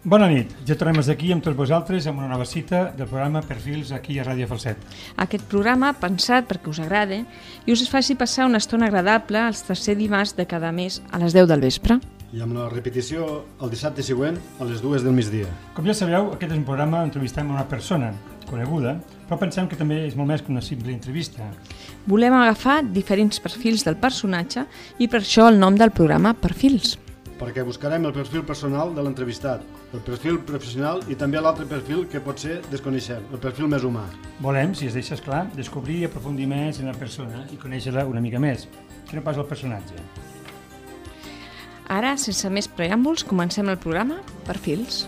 Bona nit, ja tornem aquí amb tots vosaltres amb una nova cita del programa Perfils aquí a Ràdio Falset. Aquest programa pensat perquè us agrade i us faci passar una estona agradable els tercer dimarts de cada mes a les 10 del vespre. I amb la repetició el dissabte següent a les 2 del migdia. Com ja sabeu, aquest és un programa on entrevistem una persona coneguda, però pensem que també és molt més que una simple entrevista. Volem agafar diferents perfils del personatge i per això el nom del programa Perfils. Perquè buscarem el perfil personal de l'entrevistat, el perfil professional i també l'altre perfil que pot ser desconeixem, el perfil més humà. Volem, si es deixa clar, descobrir i aprofundir més en la persona i conèixer-la una mica més, que no pas el personatge. Ara, sense més preàmbuls, comencem el programa Perfils.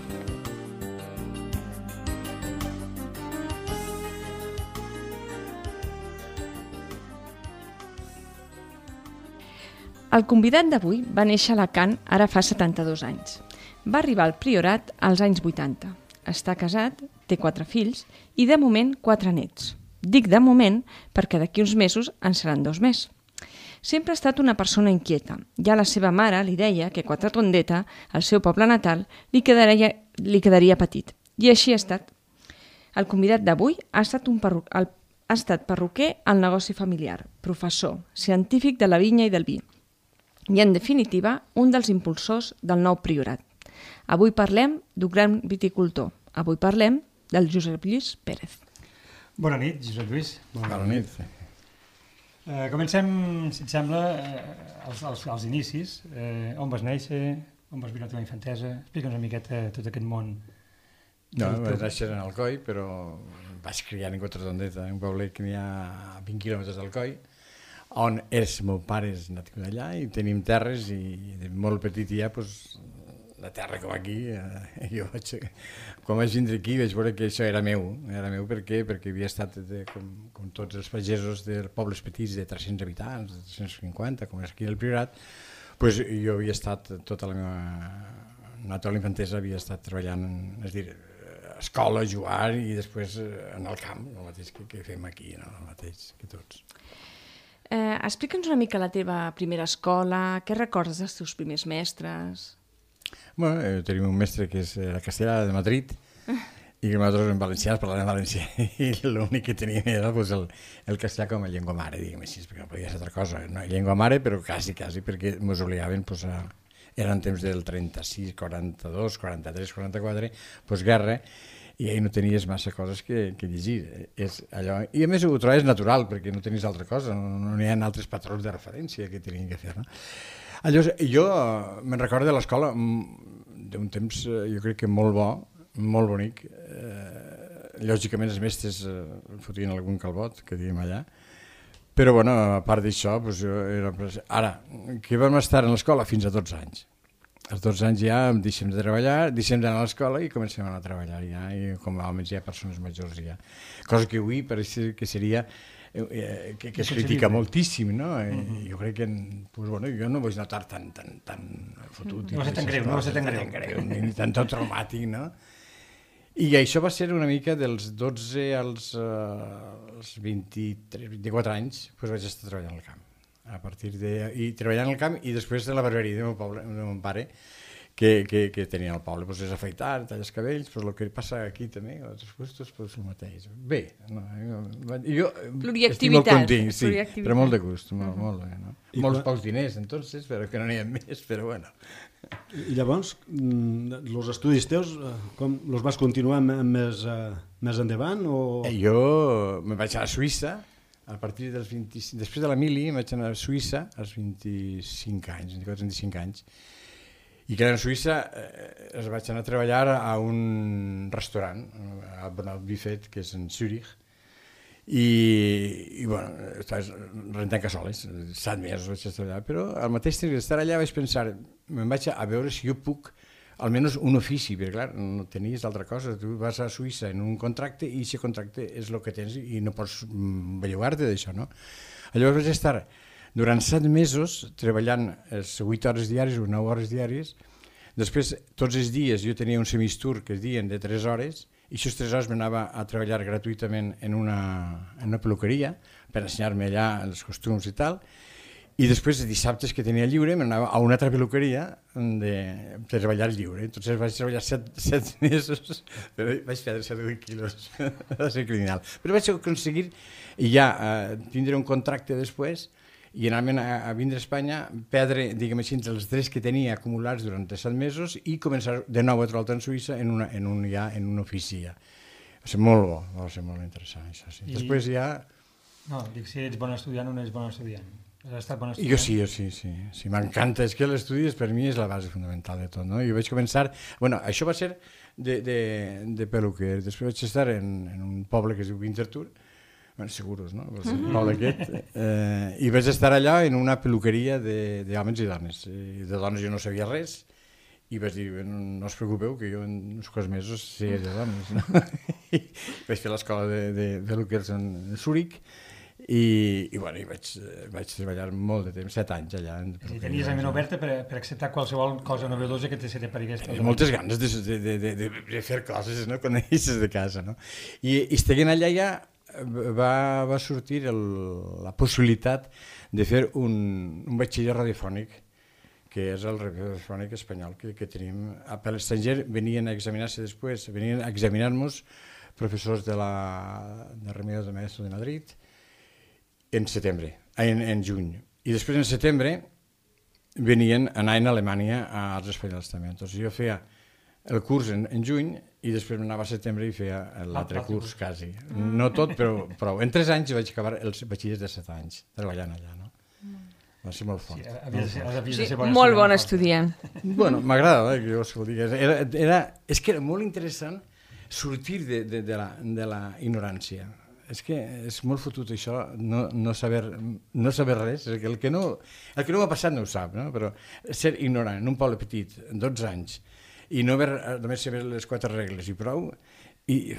El convidat d'avui va néixer a Alacant ara fa 72 anys. Va arribar al Priorat als anys 80. Està casat, té 4 fills i de moment 4 nets. Dic de moment perquè d'aquí uns mesos en seran 2 més. Sempre ha estat una persona inquieta. Ja la seva mare li deia que Quatretondeta, al seu poble natal, li quedaria petit. I així ha estat. El convidat d'avui ha estat perruquer al negoci familiar, professor, científic de la vinya i del vi. I, en definitiva, un dels impulsors del nou Priorat. Avui parlem d'un gran viticultor. Avui parlem del Josep Lluís Pérez. Bona nit, Josep Lluís. Bona nit. Comencem, si et sembla, als inicis. On vas néixer? On vas viure la teva infantesa? Explica'ns una miqueta tot aquest món. No, vaig néixer en Alcoi, però vaig criar en Quatretondeta, un poble que n'hi ha a 20 quilòmetres d'Alcoi, on el meu pare és natiu d'allà i tenim terres i de molt petit ja, la terra com aquí, jo quan vaig vindre aquí vaig veure que això era meu perquè havia estat com tots els pagesos de pobles petits de 300 habitants, de 350, com és aquí al Priorat, jo havia estat tota la meva infantesa havia estat treballant, és a dir, a escola, jugar i després en el camp, el mateix que fem aquí, el mateix que tots. Explica'ns una mica la teva primera escola, què recordes dels teus primers mestres? Tenim un mestre que és a Castellà de Madrid i que nosaltres en valencians parlàvem valencià i l'únic que teníem era el castellà com a llengua mare, diguem així, perquè no podia ser altra cosa, no llengua mare, però quasi, perquè ens obligaven eren temps del 36, 42, 43, 44, guerra, i ahir no tenies massa coses que llegir. És allò. I a més ho trobes natural, perquè no tenies altra cosa, no hi ha altres patrons de referència que tenien que fer. No? Llavors, jo me'n recordo de l'escola d'un temps, jo crec que molt bo, molt bonic. Lògicament els mestres fotien algun calbot, que diguem allà, però a part d'això, ara, que vam estar a l'escola fins a 12 anys. Als 12 anys ja deixem de treballar, deixem d'anar a l'escola i comencem a anar a treballar ja, i com a homes ja persones majors ja. Cosa que avui pareix que seria, que es critica moltíssim, no? Jo crec que, jo no vull notar tan fotut. No va ser tan greu, ni tan traumàtic, no? I això va ser una mica dels 12 als 23, 24 anys, vaig estar treballant al camp. I treballant al camp i després de la barberia de mon pare que tenia al poble, és afaitar, tallar els cabells, el que passa aquí també, a altres puestos, el mateix. Bé, jo estic molt content, sí, però molt de gust, molt bé. Molts pocs diners, entonces, però que no n'hi ha més, però bueno. I llavors, els estudis teus, com els vas continuar més endavant? Jo me'n vaig a Suïssa, a partir dels 25, després de la mili vaig anar a Suïssa als 25 anys, i que a Suïssa vaig anar a treballar a un restaurant, a Bonald Buffet, que és en Zurich, i estaves rentant cassoles, 7 mesos vaig estar allà, però al mateix temps d'estar allà vaig pensar, me'n vaig a veure si jo puc almenys un ofici, perquè clar, no tenies altra cosa, tu vas a Suïssa en un contracte i aquest contracte és el que tens i no pots bellugar-te d'això, no? Llavors vaig estar durant 7 mesos treballant 8 hores diàries o 9 hores diàries, després tots els dies jo tenia un semistur que es diuen de 3 hores i aquestes 3 hores m'anava a treballar gratuïtament en una peluqueria per ensenyar-me allà els costums i tal, I després, dissabtes que tenia lliure, m'anava a una altra peluqueria de treballar lliure. Entonces vaig treballar 7 mesos, però vaig perdre 7 quilos. Va ser criminal. Però vaig aconseguir ja tindre un contracte després i anar-me'n a vindre a Espanya, perdre, diguem així, els drets que tenia acumulats durant 7 mesos i començar de nou a treballar en Suïssa en un ofici ja. Va ser molt bo, va ser molt interessant, això sí. Després ja... No, dic, si ets bon estudiant o no ets bon estudiant. Has estat bon estudiant? Jo sí, m'encanta, és que l'estudi per mi és la base fundamental de tot, no? Jo vaig començar, bueno, això va ser de peluquer, després vaig estar en un poble que es diu Winterthur, bueno, seguros, no? El poble aquest, i vaig estar allà en una peluqueria d'homes i dones, i de dones jo no sabia res, i vaig dir, no us preocupeu, que jo en uns quants mesos sé de dones, no? I vaig fer l'escola de peluquers en Zúrich, i bueno, vaig treballar molt de temps, 7 anys allà. I tenies la ment oberta per acceptar qualsevol cosa novedosa que se t'aparigués. Moltes ganes de fer coses, no?, quan eixes de casa, no? I estant allà ja va sortir la possibilitat de fer un batxiller radiofònic, que és el radiofònic espanyol que tenim. Per l'estranger venien a examinar-se després, venien a examinar-nos professors de Remedios de Maestro de Madrid, en juny. I després en setembre anaven a Alemanya als espanyols també. Entonces jo feia el curs en juny i després anava a setembre i feia l'altre curs quasi. No tot, però prou. En 3 anys vaig acabar els batxillers de 7 anys treballant allà, no? Va ser molt fort. Molt bon estudiant. Bueno, m'agrada que jo ho digui. És que era molt interessant sortir de la ignorància. És que és molt fotut això, no saber res, el que no m'ha passat no ho sap, no? Però ser ignorant en un poble petit, 12 anys, i no només saber les 4 regles i prou, i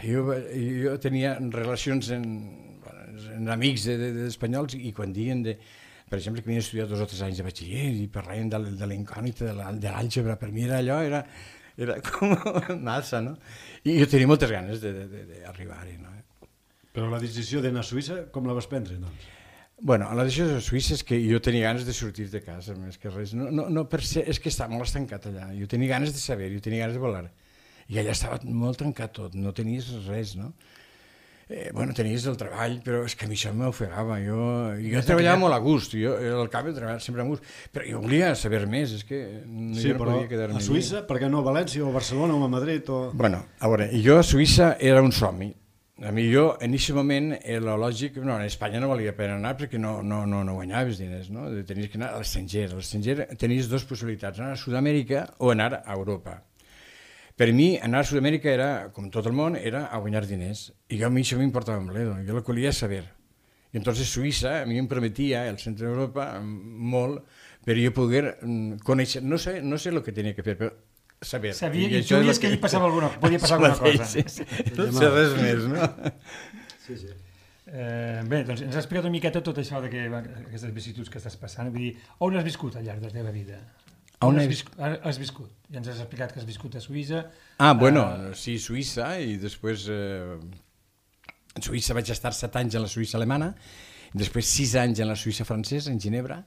jo tenia relacions amb amics d'espanyols i quan diuen, per exemple, que havien estudiat 2 o 3 anys de batxiller i parlaven de la incògnita, de l'àlgebra, per mi era allò, era com massa, no? I jo tenia moltes ganes d'arribar-hi, no? Però la decisió d'anar a Suïssa, com la vas prendre, doncs? Bueno, la decisió de Suïssa és que jo tenia ganes de sortir de casa, més que res. No per ser, és que estava molt estancat allà. Jo tenia ganes de saber, jo tenia ganes de volar. I allà estava molt tancat tot, no tenies res, no? Bueno, tenies el treball, però és que a mi això m'ofegava. Jo treballava molt a gust, jo al cap he treballat sempre a gust, però jo volia saber més, és que jo no podia quedar-me. A Suïssa, per què no a València o a Barcelona o a Madrid? Bueno, a veure, jo a Suïssa era un somni. A mi en aquest moment era lògic, a Espanya no valia pena anar perquè no guanyaves diners, no? Tenies que anar a l'estranger. A l'estranger tenies 2 possibilitats, anar a Sud-amèrica o anar a Europa. Per mi, anar a Sud-amèrica era, com tot el món, era a guanyar diners. I a mi això m'importava un bledo, jo el que volia saber. I entonces Suïssa a mi em prometia, el centre d'Europa, molt, per jo poder conèixer, no sé el que tenia que fer, però saber. Sabia i tu dius que hi podia passar alguna cosa. Sí. No sé res més, no? Sí. Bé, doncs ens has explicat una miqueta tot això d'aquestes vicissituds que estàs passant. Vull dir, on has viscut al llarg de la teva vida? On has viscut? Ja ens has explicat que has viscut a Suïssa. Bueno, sí, Suïssa, i després en Suïssa vaig estar 7 anys en la Suïssa alemana, després 6 anys en la Suïssa francesa, en Ginebra,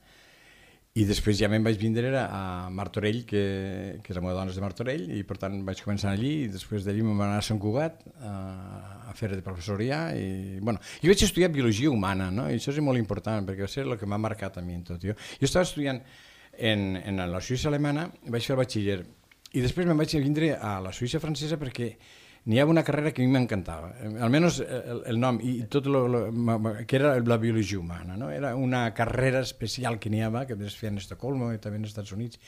i després ja me'n vaig vindre a Martorell, que la meva dona és de Martorell, i per tant vaig començar allí, i després d'allí me'n vaig anar a Sant Cugat a fer de professor ja, i bueno, jo vaig estudiar biologia humana, no? I això és molt important, perquè va ser el que m'ha marcat a mi en tot. Jo estava estudiant en la Suïssa alemana, vaig fer el batxiller, i després me'n vaig vindre a la Suïssa francesa perquè n'hi havia una carrera que a mi m'encantava, almenys el nom, i tot que era la biologia humana, no? Era una carrera especial que n'hi havia, que es feia en Estocolmo i també als Estats Units,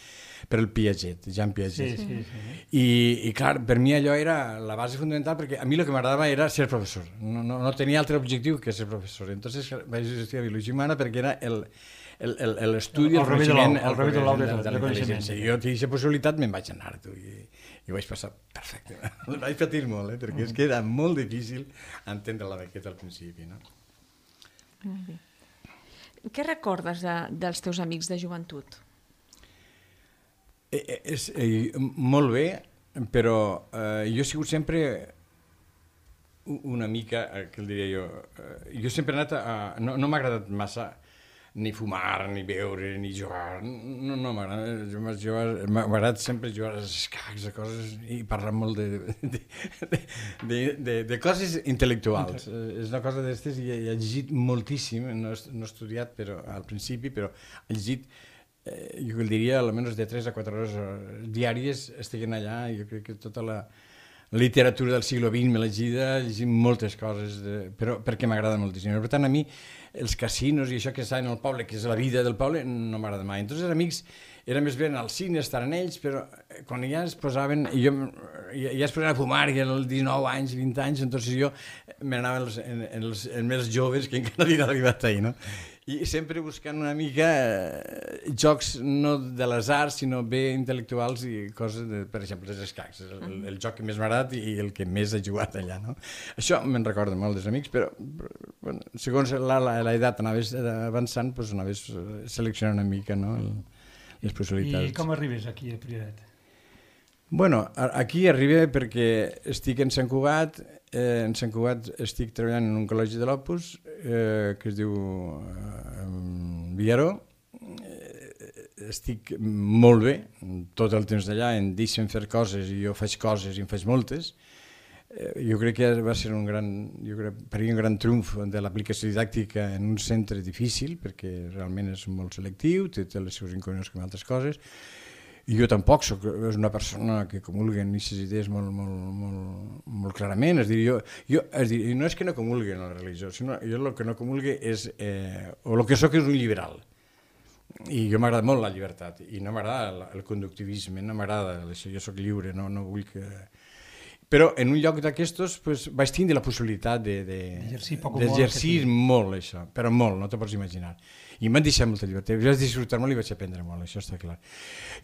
per el Piaget, Jean Piaget. Sí. I clar, per mi allò era la base fundamental, perquè a mi el que m'agradava era ser professor, no tenia altre objectiu que ser professor. Entonces vaig estudiar biologia humana perquè era l'estudi, el coneixement, el de la intel·ligència. Jo tenia aquesta possibilitat, me'n vaig anar, i ho vaig passar perfecte. El vaig patir molt, perquè és que era molt difícil entendre la bequeta al principi, no? Què recordes dels teus amics de joventut? Molt bé, però jo he sigut sempre una mica, què el diria jo, jo sempre he anat no m'ha agradat massa ni fumar, ni beure, ni jugar. No m'agrada. M'agrada sempre jugar als escacs, a coses, i parlar molt de coses intel·lectuals. És una cosa d'estes i he llegit moltíssim, no he estudiat al principi, però he llegit, jo diria, almenys de 3 a 4 hores diàries estiguen allà. Jo crec que tota la literatura del segle XX m'he llegit moltes coses, però perquè m'agrada moltíssim. Per tant, a mi els casinos i això que està en el poble, que és la vida del poble, no m'agrada mai. Entonces, els amics era més bé anar al cine, estar en ells, però quan ja es posaven, ja es posaven a fumar, i als 19 anys, 20 anys, entonces jo me n'anava en els més joves que encara havien arribat ahir, no? I sempre buscant una mica jocs no de les arts, sinó bé intel·lectuals i coses, per exemple, els escacs, el joc que més m'ha agradat i el que més he jugat allà, no? Això me'n recorda molt dels amics, però bueno, segons l'edat anaves avançant, doncs anaves seleccionant una mica, no?, les possibilitats. I com arribes aquí a Priorat? Bueno, aquí arriba perquè estic en Sant Cugat. En Sant Cugat estic treballant en un col·legi de l'Opus que es diu Villaró. Estic molt bé, tot el temps d'allà em deixen fer coses i jo faig coses i en faig moltes. Jo crec que va ser per mi un gran triomf de l'aplicació didàctica en un centre difícil, perquè realment és molt selectiu, té les seves inconvenients com altres coses. I jo tampoc soc una persona que comulgui en aquestes idees molt clarament. És a dir, no és que no comulgui en la religió, sinó jo el que no comulgui és, o el que soc és un liberal. I jo m'agrada molt la llibertat, i no m'agrada el conductivisme, no m'agrada això, jo soc lliure, no vull que... Però en un lloc d'aquestos vaig tindre la possibilitat d'exercir molt això, però molt, no te pots imaginar. I m'han deixat molta llibertat, vaig disfrutar molt i vaig aprendre molt, això està clar.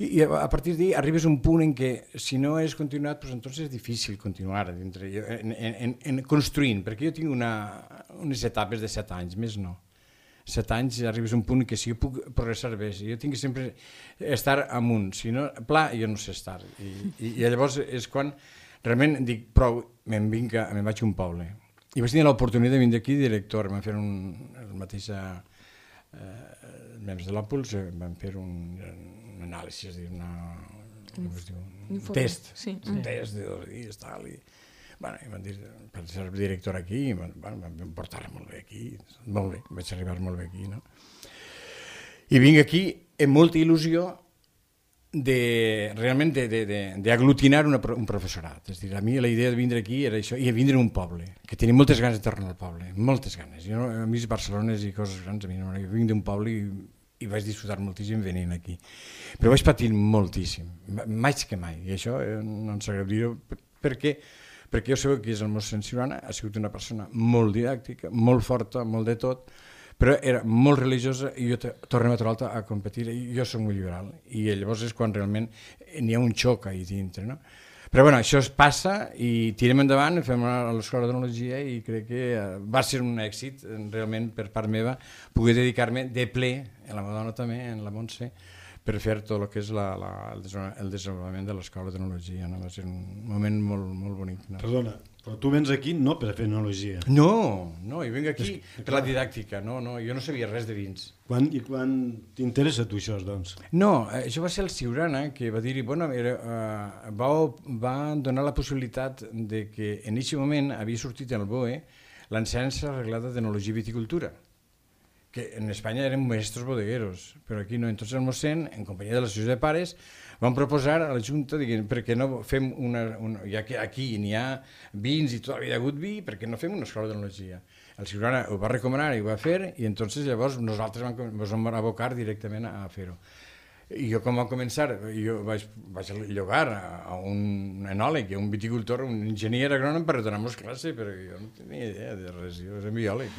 I a partir d'ahí arribes a un punt en què si no és continuat, doncs entonces és difícil continuar en construint, perquè jo tinc unes etapes de 7 anys, més no. 7 anys arribes a un punt en què si jo puc progressar bé, jo tinc que sempre estar amunt, si no, pla, jo no sé estar. I llavors és quan realment dic, prou, me'n vaig a un poble. I vaig tenir l'oportunitat de vindre aquí director, vam fer el mateix membres de l'Òpuls, vam fer un anàlisi, un test, un test de 2 dies, tal, i em van dir, per ser director aquí, vam portar molt bé aquí, molt bé, vaig arribar molt bé aquí, no? I vinc aquí amb molta il·lusió realment d'aglutinar un professorat. És a dir, a mi la idea de vindre aquí era això, i vindre a un poble, que tenia moltes ganes de tornar al poble, moltes ganes. A mi Barcelona i coses grans, a mi no m'agrada. Vinc d'un poble i vaig disfrutar moltíssim venint aquí. Però vaig patir moltíssim, més que mai, i això no ens agrada dir-ho, perquè jo sé que és el Mossèn Siurana, ha sigut una persona molt didàctica, molt forta, molt de tot, però era molt religiosa i jo tornem a trobar-la a competir, i jo soc molt liberal, i llavors és quan realment n'hi ha un xoc ahí dintre, no? Però bueno, això es passa i tirem endavant, fem l'escola d'enologia i crec que va ser un èxit realment per part meva poder dedicar-me de ple, en la Madonna també, en la Montse, per fer tot el que és el desenvolupament de l'escola d'enologia. Va ser un moment molt bonic. Perdona, però tu vens aquí no per fer enologia. No, jo vinc aquí per la didàctica, jo no sabia res de vins. I quan t'interessa tu això, doncs? No, això va ser el Siurana que va dir-hi, va donar la possibilitat de que en aquest moment havia sortit en el BOE l'ensenyança reglada d'enologia i viticultura, que en Espanya eren maestros bodegueros, però aquí no. Entonces el mossèn, en companyia de l'associació de pares, van proposar a la Junta, perquè no fem ja que aquí n'hi ha vins i tot, havia hagut vi, perquè no fem una escola d'enologia. El Siurana ho va recomanar i ho va fer, i entonces llavors nosaltres ens vam abocar directament a fer-ho. I jo com va començar, jo vaig llogar a un enòleg, a un viticultor, un enginyer agrònom per donar-nos classe, però jo no tenia idea de res, jo era biòleg.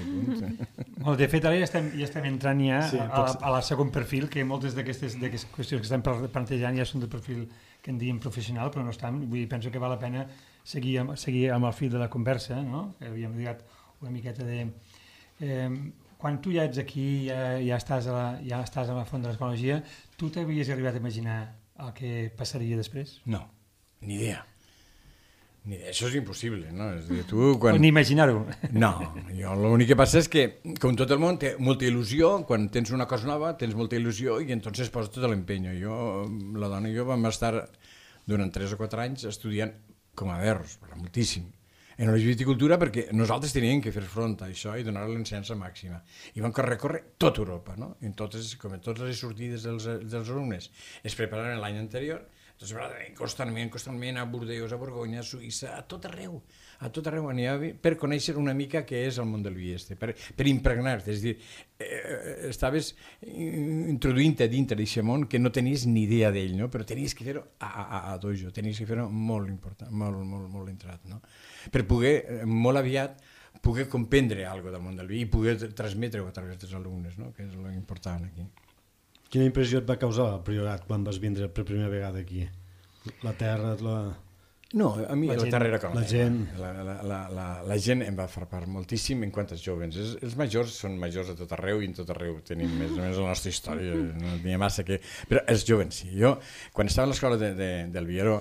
De fet, ara ja estem entrant a la segon perfil, que moltes d'aquestes qüestions que estem plantejant ja són del perfil que en diem professional, però no estan. Penso que val la pena seguir amb el fil de la conversa, que havíem lligat una miqueta de... Quan tu ja ets aquí, ja estàs a la font de l'ecologia, tu t'havies arribat a imaginar el que passaria després? No, ni idea. Això és impossible, no? Ni imaginar-ho. No, Jo l'únic que passa és que, com tot el món, té molta il·lusió, quan tens una cosa nova, tens molta il·lusió i entonces poses tot l'empenyo. La dona i jo vam estar durant 3 o 4 anys estudiant com a verros, moltíssim, enologia i viticultura, perquè nosaltres teníem que fer front a això i donar l'ensença màxima. I vam recórrer tota Europa, no? I entonces, com en totes les sortides dels alumnes es preparaven l'any anterior, constantment a Bordeus, a Borgonya, a Suïssa, a tot arreu anava per conèixer una mica què és el món del vi per impregnar-te, és a dir, estaves introduint-te dintre d'aquest món que no tenies ni idea d'ell, no? Però tenies que fer-ho a dojo, tenies que fer-ho molt important, molt entrat, no? Per poder, molt aviat, poder comprendre alguna del món del vi i poder transmetre-ho a través dels alumnes, no? Que és l'important aquí. Quina impressió et va causar el Priorat quan vas vindre per primera vegada aquí? La terra, No, a mi la terra era com la gent. La gent em va frapar moltíssim en quant als joves. Els majors són majors a tot arreu i en tot arreu tenim més o menys la nostra història, no n'hi ha massa que... Però els joves sí. Jo, quan estava a l'escola del Vieró,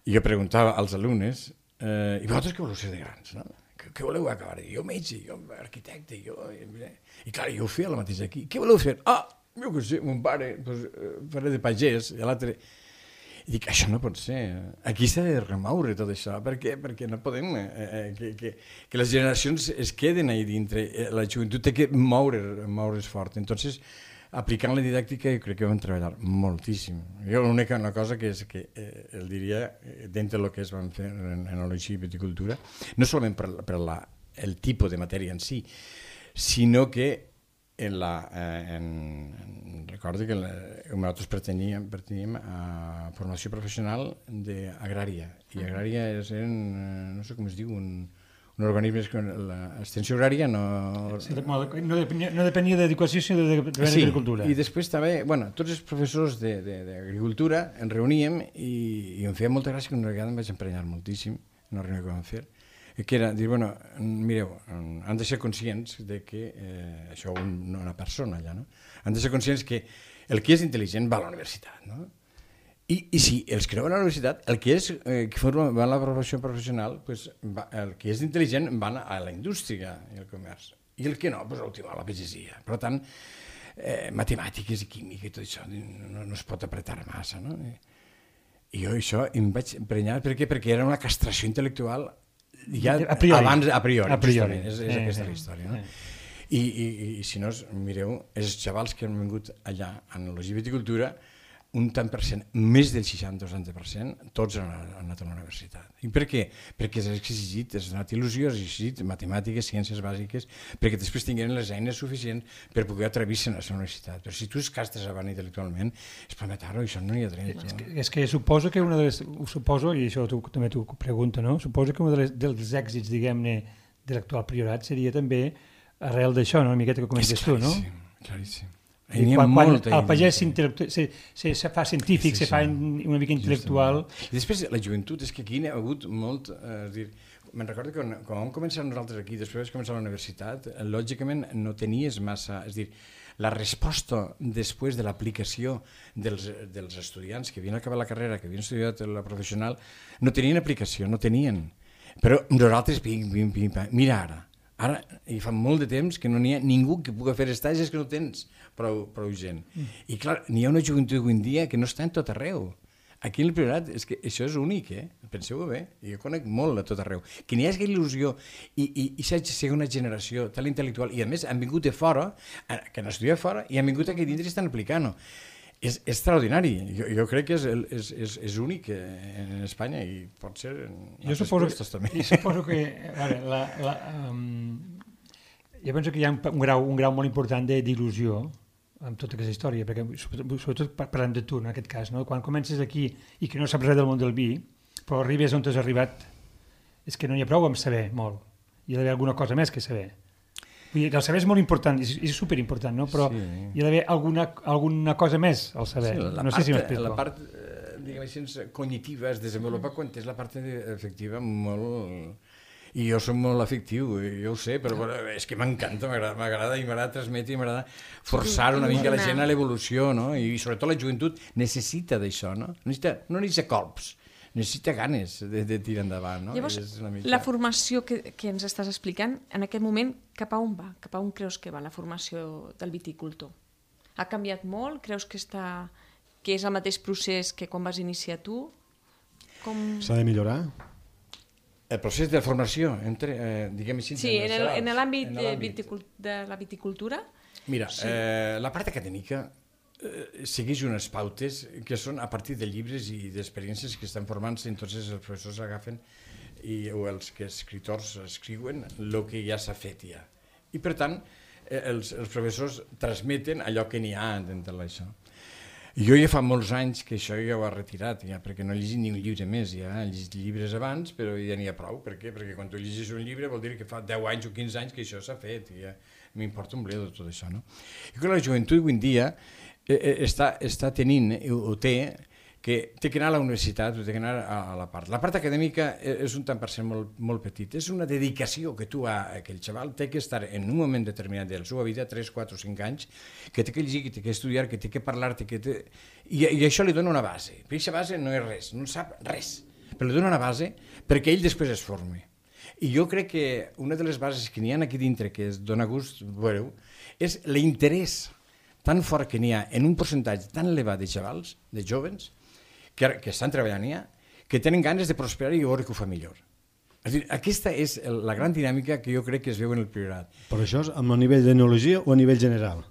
jo preguntava als alumnes i vosaltres què voleu ser de grans, no? Què voleu acabar? Jo metge, jo arquitecte, I clar, jo ho feia el mateix aquí. Què voleu fer? Jo què sé, mon pare faré de pagès, i l'altre... I dic, això no pot ser. Aquí s'ha de remoure tot això. Per què? Perquè no podem que les generacions es queden ahí dintre. La joventut té que moure's fort. Entonces, aplicant la didàctica, jo crec que vam treballar moltíssim. Jo l'única cosa que és que el diria, dintre del que es van fer en enologia i viticultura, no solament per el tipus de matèria en si, sinó que recordo que nosaltres pertanyíem a formació professional d'agrària, i agrària és no sé com es diu, un organisme que l'extensió agrària no depenia d'educació sinó d'agricultura. I després també, tots els professors d'agricultura ens reuníem i em feia molta gràcia que una vegada em vaig emprenyar moltíssim en una reunió que vam fer, que era dir, mireu, han de ser conscients de que això no una persona allà, no? Han de ser conscients que el que és intel·ligent va a la universitat, no? I si els que no van a la universitat, el que van a la formació professional, el que és intel·ligent van a la indústria i al comerç, i el que no, a la pagesia. Per tant, matemàtiques i química i tot això no es pot apretar massa, no? I jo això em vaig emprenyar, perquè era una castració intel·lectual ja a priori. És aquesta la història, no? I si no, mireu, els xavals que han vingut allà a enologia i viticultura, un tant per cent, més del 60 o 70%, tots han anat a la universitat. I per què? Perquè s'ha exigit, has donat il·lusió, has exigit matemàtiques, ciències bàsiques, perquè després tinguin les eines suficients per poder atrevir-se a la universitat. Però si tu es castres avant intel·lectualment, és prometar-ho, això no hi ha dret. És que suposo que i això també t'ho pregunto, no? Suposo que un dels èxits, diguem-ne, de l'actual priorat seria també arrel d'això, no? Una miqueta que comentes tu, no? Claríssim. Quan el pagès se fa científic, se fa una mica intel·lectual... I després la joventut, és que aquí n'hi ha hagut molt... Me'n recordo que quan vam començar nosaltres aquí, després de començar a la universitat, lògicament no tenies massa... És a dir, la resposta després de l'aplicació dels estudiants que havien acabat la carrera, que havien estudiat la professional, no tenien aplicació, no tenien. Però nosaltres, mira ara hi fa molt de temps que no n'hi ha ningú que pugui fer estagis que no tens prou gent. I clar, n'hi ha una joventut avui en dia que no està en tot arreu. Aquí en el Priorat, és que això és únic, penseu-ho bé, jo conec molt a tot arreu. Que n'hi hagi il·lusió i sigui una generació tan intel·lectual, i a més han vingut de fora, que han estudiat fora, i han vingut aquí dintre i estan aplicant-ho. És extraordinari, jo crec que és únic en Espanya i pot ser en altres puestos també. Jo suposo que jo penso que hi ha un grau molt important d'il·lusió amb tota aquesta història, perquè sobretot parlem de tu en aquest cas, no? Quan comences aquí i que no saps res del món del vi, però arribes on t'has arribat, és que no n'hi ha prou amb saber molt, hi ha d'haver alguna cosa més que saber. El saber és molt important, és superimportant, no? Però hi ha d'haver alguna cosa més al saber. No sé si m'explico. La part, diguem així, cognitiva es desenvolupa quan tens la part efectiva molt... I jo soc molt afectiu, jo ho sé, però és que m'encanta, m'agrada i m'agrada transmetre i m'agrada forçar una mica la gent a l'evolució, no? I sobretot la joventut necessita d'això, no? No necessita colps, necessita ganes de tirar endavant. No? Llavors, la formació que ens estàs explicant, en aquest moment, cap a on va? Cap a on creus que va la formació del viticultor? Ha canviat molt? Creus que és el mateix procés que quan vas iniciar tu? S'ha de millorar? El procés de formació, diguem així... Sí, en l'àmbit de la viticultura? Mira, la part acadèmica segueix unes pautes que són a partir de llibres i d'experiències que estan formant-se, entonces els professors agafen o els escriptors escriuen el que ja s'ha fet ja. I per tant, els professors transmeten allò que n'hi ha dintre d'això. Jo ja fa molts anys que això ja ho he retirat, ja, perquè no he llegit ni un llibre més, ja he llegit llibres abans, però ja n'hi ha prou. Per què? Perquè quan tu llegis un llibre vol dir que fa 10 anys o 15 anys que això s'ha fet, i ja m'importa un bledo tot això. No? I que la joventut avui en dia està tenint, o té que anar a la universitat, té que anar a la part. La part acadèmica és un tant per cent molt petit. És una dedicació que aquell xaval té que estar en un moment determinat de la seva vida, 3, 4 o 5 anys, que té que llegir, que té que estudiar, que té que parlar, i això li dona una base. Però aquesta base no és res, no sap res, però li dona una base perquè ell després es formi. I jo crec que una de les bases que n'hi ha aquí dintre, que es dona gust veure-ho, és l'interès tan fort que n'hi ha en un percentatge tan elevat de xavals, de jóvens, que estan treballant ja, que tenen ganes de prosperar i veure que ho fa millor. És a dir, aquesta és la gran dinàmica que jo crec que es veu en el Priorat. Però això és a nivell d'enologia o a nivell general?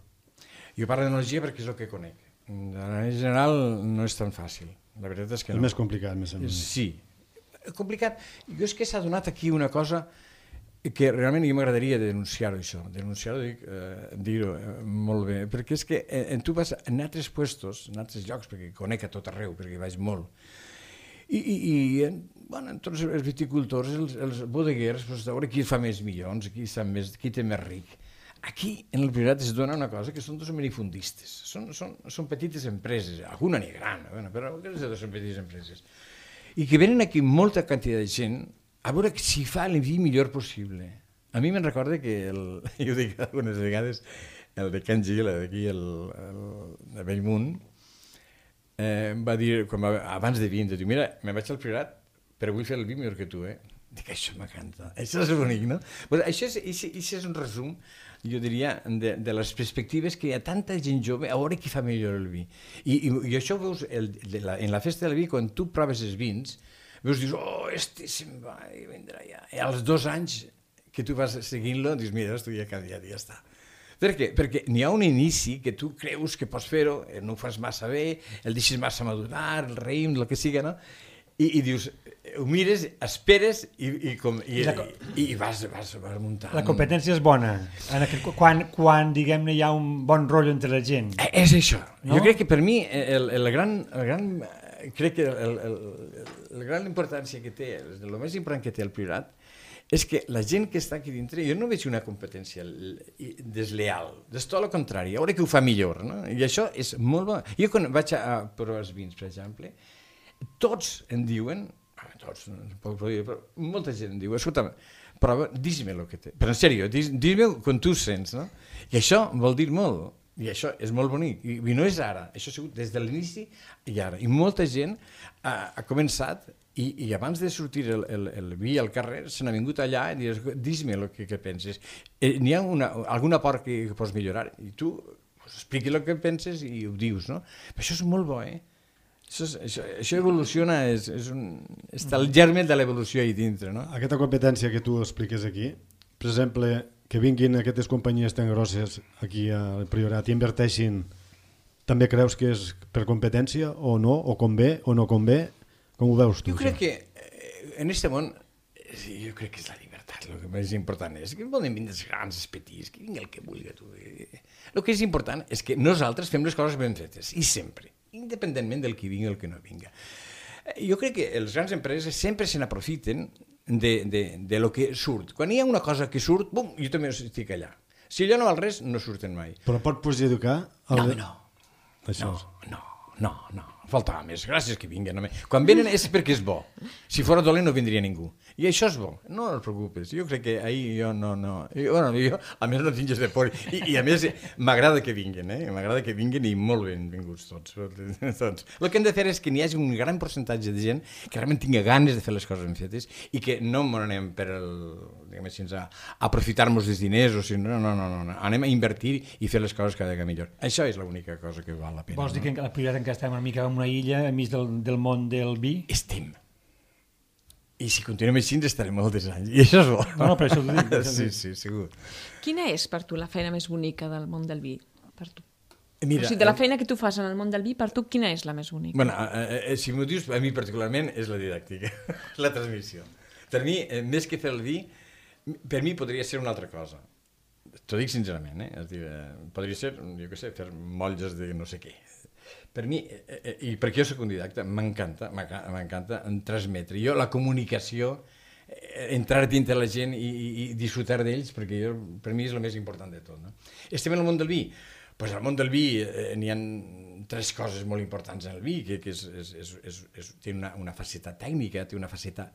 Jo parlo d'enologia perquè és el que conec. A nivell general no és tan fàcil. La veritat és que no. És més complicat, més o menys. Sí, complicat. Jo és que s'ha donat aquí una cosa que realment jo m'agradaria denunciar-ho, això. Denunciar-ho, dir-ho molt bé, perquè és que tu vas en altres puestos, en altres llocs, perquè conec a tot arreu, perquè vaig molt, i tots els viticultors, els bodeguers, a veure qui fa més milions, qui té més ric. Aquí, en el Priorat, es dona una cosa que són dos minifundistes, són petites empreses, alguna n'hi ha gran, però són petites empreses, i que venen aquí molta quantitat de gent a veure si fa el vi millor possible. A mi me'n recorda que, jo ho dic algunes vegades, el de Can Gil, d'aquí, de Bellmunt, va dir, abans de vindre, diu, mira, me'n vaig al Priorat, però vull fer el vi millor que tu, Dic, això m'encanta, això és bonic, no? Això és un resum, jo diria, de les perspectives que hi ha tanta gent jove a veure qui fa millor el vi. I això ho veus en la festa del vi, quan tu proves els vins, veus, dius, se'n va i vindrà ja. I als 2 anys que tu vas seguint-lo, dius, mira, tu ja ha canviat i ja està. Per què? Perquè n'hi ha un inici que tu creus que pots fer-ho, no ho fas massa bé, el deixes massa madurar, el raïm, el que siga, no? I dius, ho mires, esperes i vas muntant. La competència és bona, quan diguem-ne, hi ha un bon rotllo entre la gent. És això. No? Jo crec que per mi crec que la gran importància que té, el més important que té el Priorat, és que la gent que està aquí dintre, jo no veig una competència desleal, és tot el contrari, a veure que ho fa millor, no? I això és molt bo. Jo quan vaig a provar els vins, per exemple, tots em diuen, però molta gent em diu, escolta, prova, dis-me el que té, però en sèrio, dis-me quan tu sents, no? I això vol dir molt. I això és molt bonic, i no és ara, això ha sigut des de l'inici i ara. I molta gent ha començat, i abans de sortir el vi al carrer, se n'ha vingut allà i dius, dis-me el que penses. N'hi ha alguna part que pots millorar, i tu expliqui el que penses i ho dius, no? Però això és molt bo, Això evoluciona, està el germen de l'evolució ahí dintre, no? Aquesta competència que tu expliques aquí, per exemple, que vinguin aquestes companyies tan grosses aquí al Priorat i inverteixin, també creus que és per competència o no, o convé o no convé? Com ho veus tu? Jo crec que en aquest món, jo crec que és la llibertat, el que més important és que poden vindre els grans, els petits, que vingui el que vulgui. El que és important és que nosaltres fem les coses ben fetes, i sempre, independentment del que vingui o el que no vinga. Jo crec que les grans empreses sempre se n'aprofiten de lo que surt. Quan hi ha una cosa que surt, bum, jo també estic allà. Si allò no val res, no surten mai. Però pot perjudicar? No. Faltava més. Gràcies que vinguen. Quan venen és perquè és bo. Si fora dolent no vindria ningú. I això és bo, no et preocupes. Jo crec que ahir jo no... Jo, a més, no tingues de por. I a més, m'agrada que vinguin, M'agrada que vinguin i molt benvinguts tots. El que hem de fer és que n'hi hagi un gran percentatge de gent que realment tingui ganes de fer les coses ben fetes i que no anem per a aprofitar-nos dels diners, o si no, anem a invertir i fer les coses cada vegada millor. Això és l'única cosa que val la pena. Vols dir que la prioritat encara estem una mica en una illa enmig del món del vi? Estem. I si continuem així ens estarem molts anys. I això és bo. No, però això ho dic. Sí, segur. Quina és per tu la feina més bonica del món del vi? Per tu? Mira, o sigui, de la feina que tu fas en el món del vi, per tu quina és la més bonica? Bueno, si m'ho dius, a mi particularment és la didàctica, la transmissió. Per mi, més que fer el vi, per mi podria ser una altra cosa. T'ho dic sincerament, És dir, podria ser, jo què sé, fer motlles de no sé què. Per mi, i perquè jo soc un didacta, m'encanta transmetre. Jo, la comunicació, entrar dintre la gent i disfrutar d'ells, perquè per mi és el més important de tot. No? Estem en el món del vi. Pues al món del vi n'hi ha 3 coses molt importants en el vi, que té una faceta tècnica, té una faceta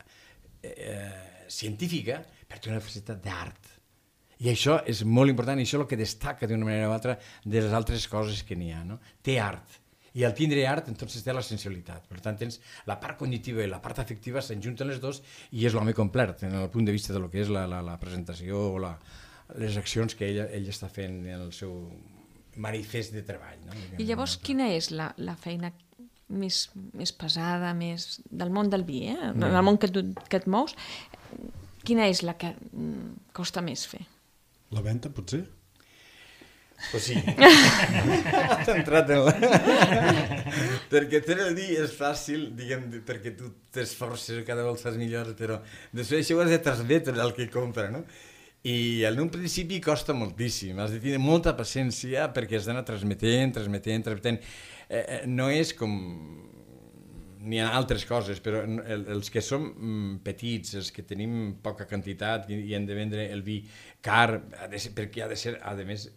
científica, però té una faceta d'art. I això és molt important, i això és el que destaca d'una manera o altra de les altres coses que n'hi ha. No? Té art. I al tindre art, entonces té la sensibilitat. Per tant, tens la part cognitiva i la part afectiva, s'enjunten les dos i és l'home complet, en el punt de vista de lo que és la presentació o les accions que ell està fent en el seu manifest de treball. No? I llavors, quina és la feina més pesada, més del món del vi, en el món que et mous, quina és la que costa més fer? La venda, potser? Pues sí. Has entrat en perquè fer el vi és fàcil, diguem, perquè tu t'esforces, cada volta fas millor, però després això ho has de transmetre al que compra, no? I en un principi costa moltíssim, has de tenir molta paciència perquè has d'anar transmetent. No és com... N'hi ha altres coses, però els que som petits, els que tenim poca quantitat i hem de vendre el vi car, perquè ha de ser, a més,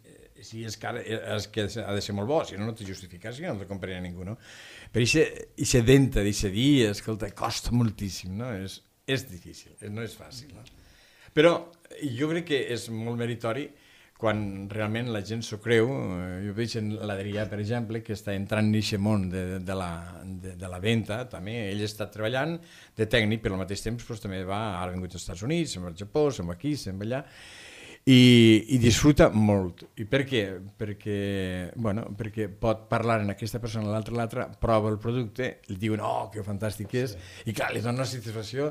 si és car, és que ha de ser molt bo, si no, no té justificació, no el compraria ningú, no? Però aquesta venda d'aquest vi, escolta, costa moltíssim, no? És difícil, no és fàcil, no? Però jo crec que és molt meritori quan realment la gent s'ho creu. Jo veig en l'Adrià, per exemple, que està entrant en aquest món de la venda, també. Ell està treballant de tècnic, però al mateix temps doncs, també ha vingut als Estats Units, se'n va al Japó, se'n va aquí, se'n va allà, i disfruta molt. I per què? Perquè pot parlar en aquesta persona, l'altra, prova el producte, li diuen, oh, que fantàstic és, i clar, li dona una satisfacció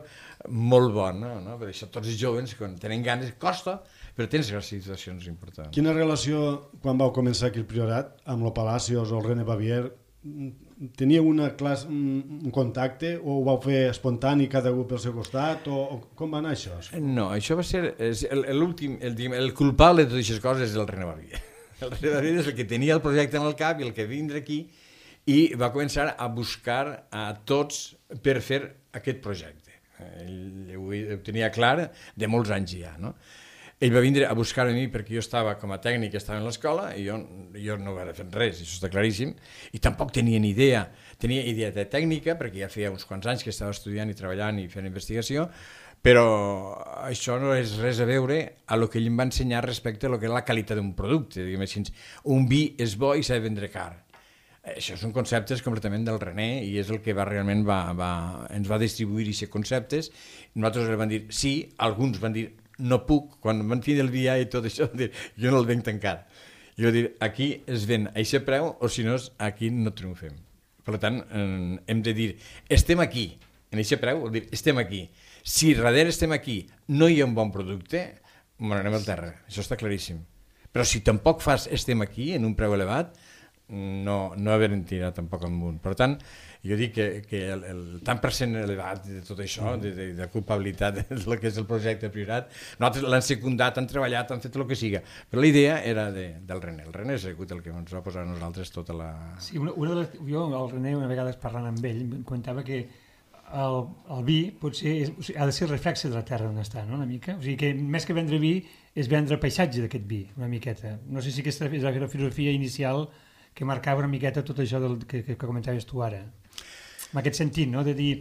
molt bona, no? Per això tots els joves, quan tenen ganes, costa, però tens les situacions importants. Quina relació, quan vau començar aquí el Priorat, amb el Palacios o el René Bavier, teníeu un contacte o ho vau fer espontani cada un pel seu costat o com va anar això? No, això va ser l'últim, el culpable de totes aquestes coses és el René Bavier. El René Bavier és el que tenia el projecte en el cap i el que vindre aquí i va començar a buscar a tots per fer aquest projecte. Ell ho tenia clar de molts anys ja, no? Ell va vindre a buscar a mi perquè jo estava com a tècnic, estava en l'escola i jo no vaig fer res, això està claríssim, i tampoc tenia ni idea. Tenia idea de tècnica perquè ja feia uns quants anys que estava estudiant i treballant i fent investigació, però això no és res a veure a lo que ell em va ensenyar respecte a lo que és la qualitat d'un producte. Diguem així, un vi és bo i s'ha de vendre car. Això són conceptes completament del René i és el que realment ens va distribuir aquests conceptes. Nosaltres vam dir sí, alguns van dir no puc, quan van tindre el dia i tot això, dir, jo no el venc tancat. Jo vaig dir, aquí es ven a aquest preu o si no, aquí no triomfem. Per tant, hem de dir, estem aquí, en aquest preu, vol dir, estem aquí. Si darrere estem aquí, no hi ha un bon producte, anem al terra, això està claríssim. Però si tampoc fas estem aquí, en un preu elevat, no haver-en tirat tampoc amunt. Per tant, jo dic que el tant per cent elevat de tot això, de culpabilitat del que és el projecte Priorat, nosaltres l'han secundat, han treballat, han fet el que siga, però la idea era del René. El René és el que ens va posar a nosaltres tota la... Sí, jo, el René, una vegada parlant amb ell, em comentava que el vi potser ha de ser el reflexe de la terra on està, no? Una mica. O sigui que més que vendre vi és vendre paisatge d'aquest vi, una miqueta. No sé si aquesta és la filosofia inicial que marcava una miqueta tot això que comentaves tu ara. En aquest sentit, no? De dir,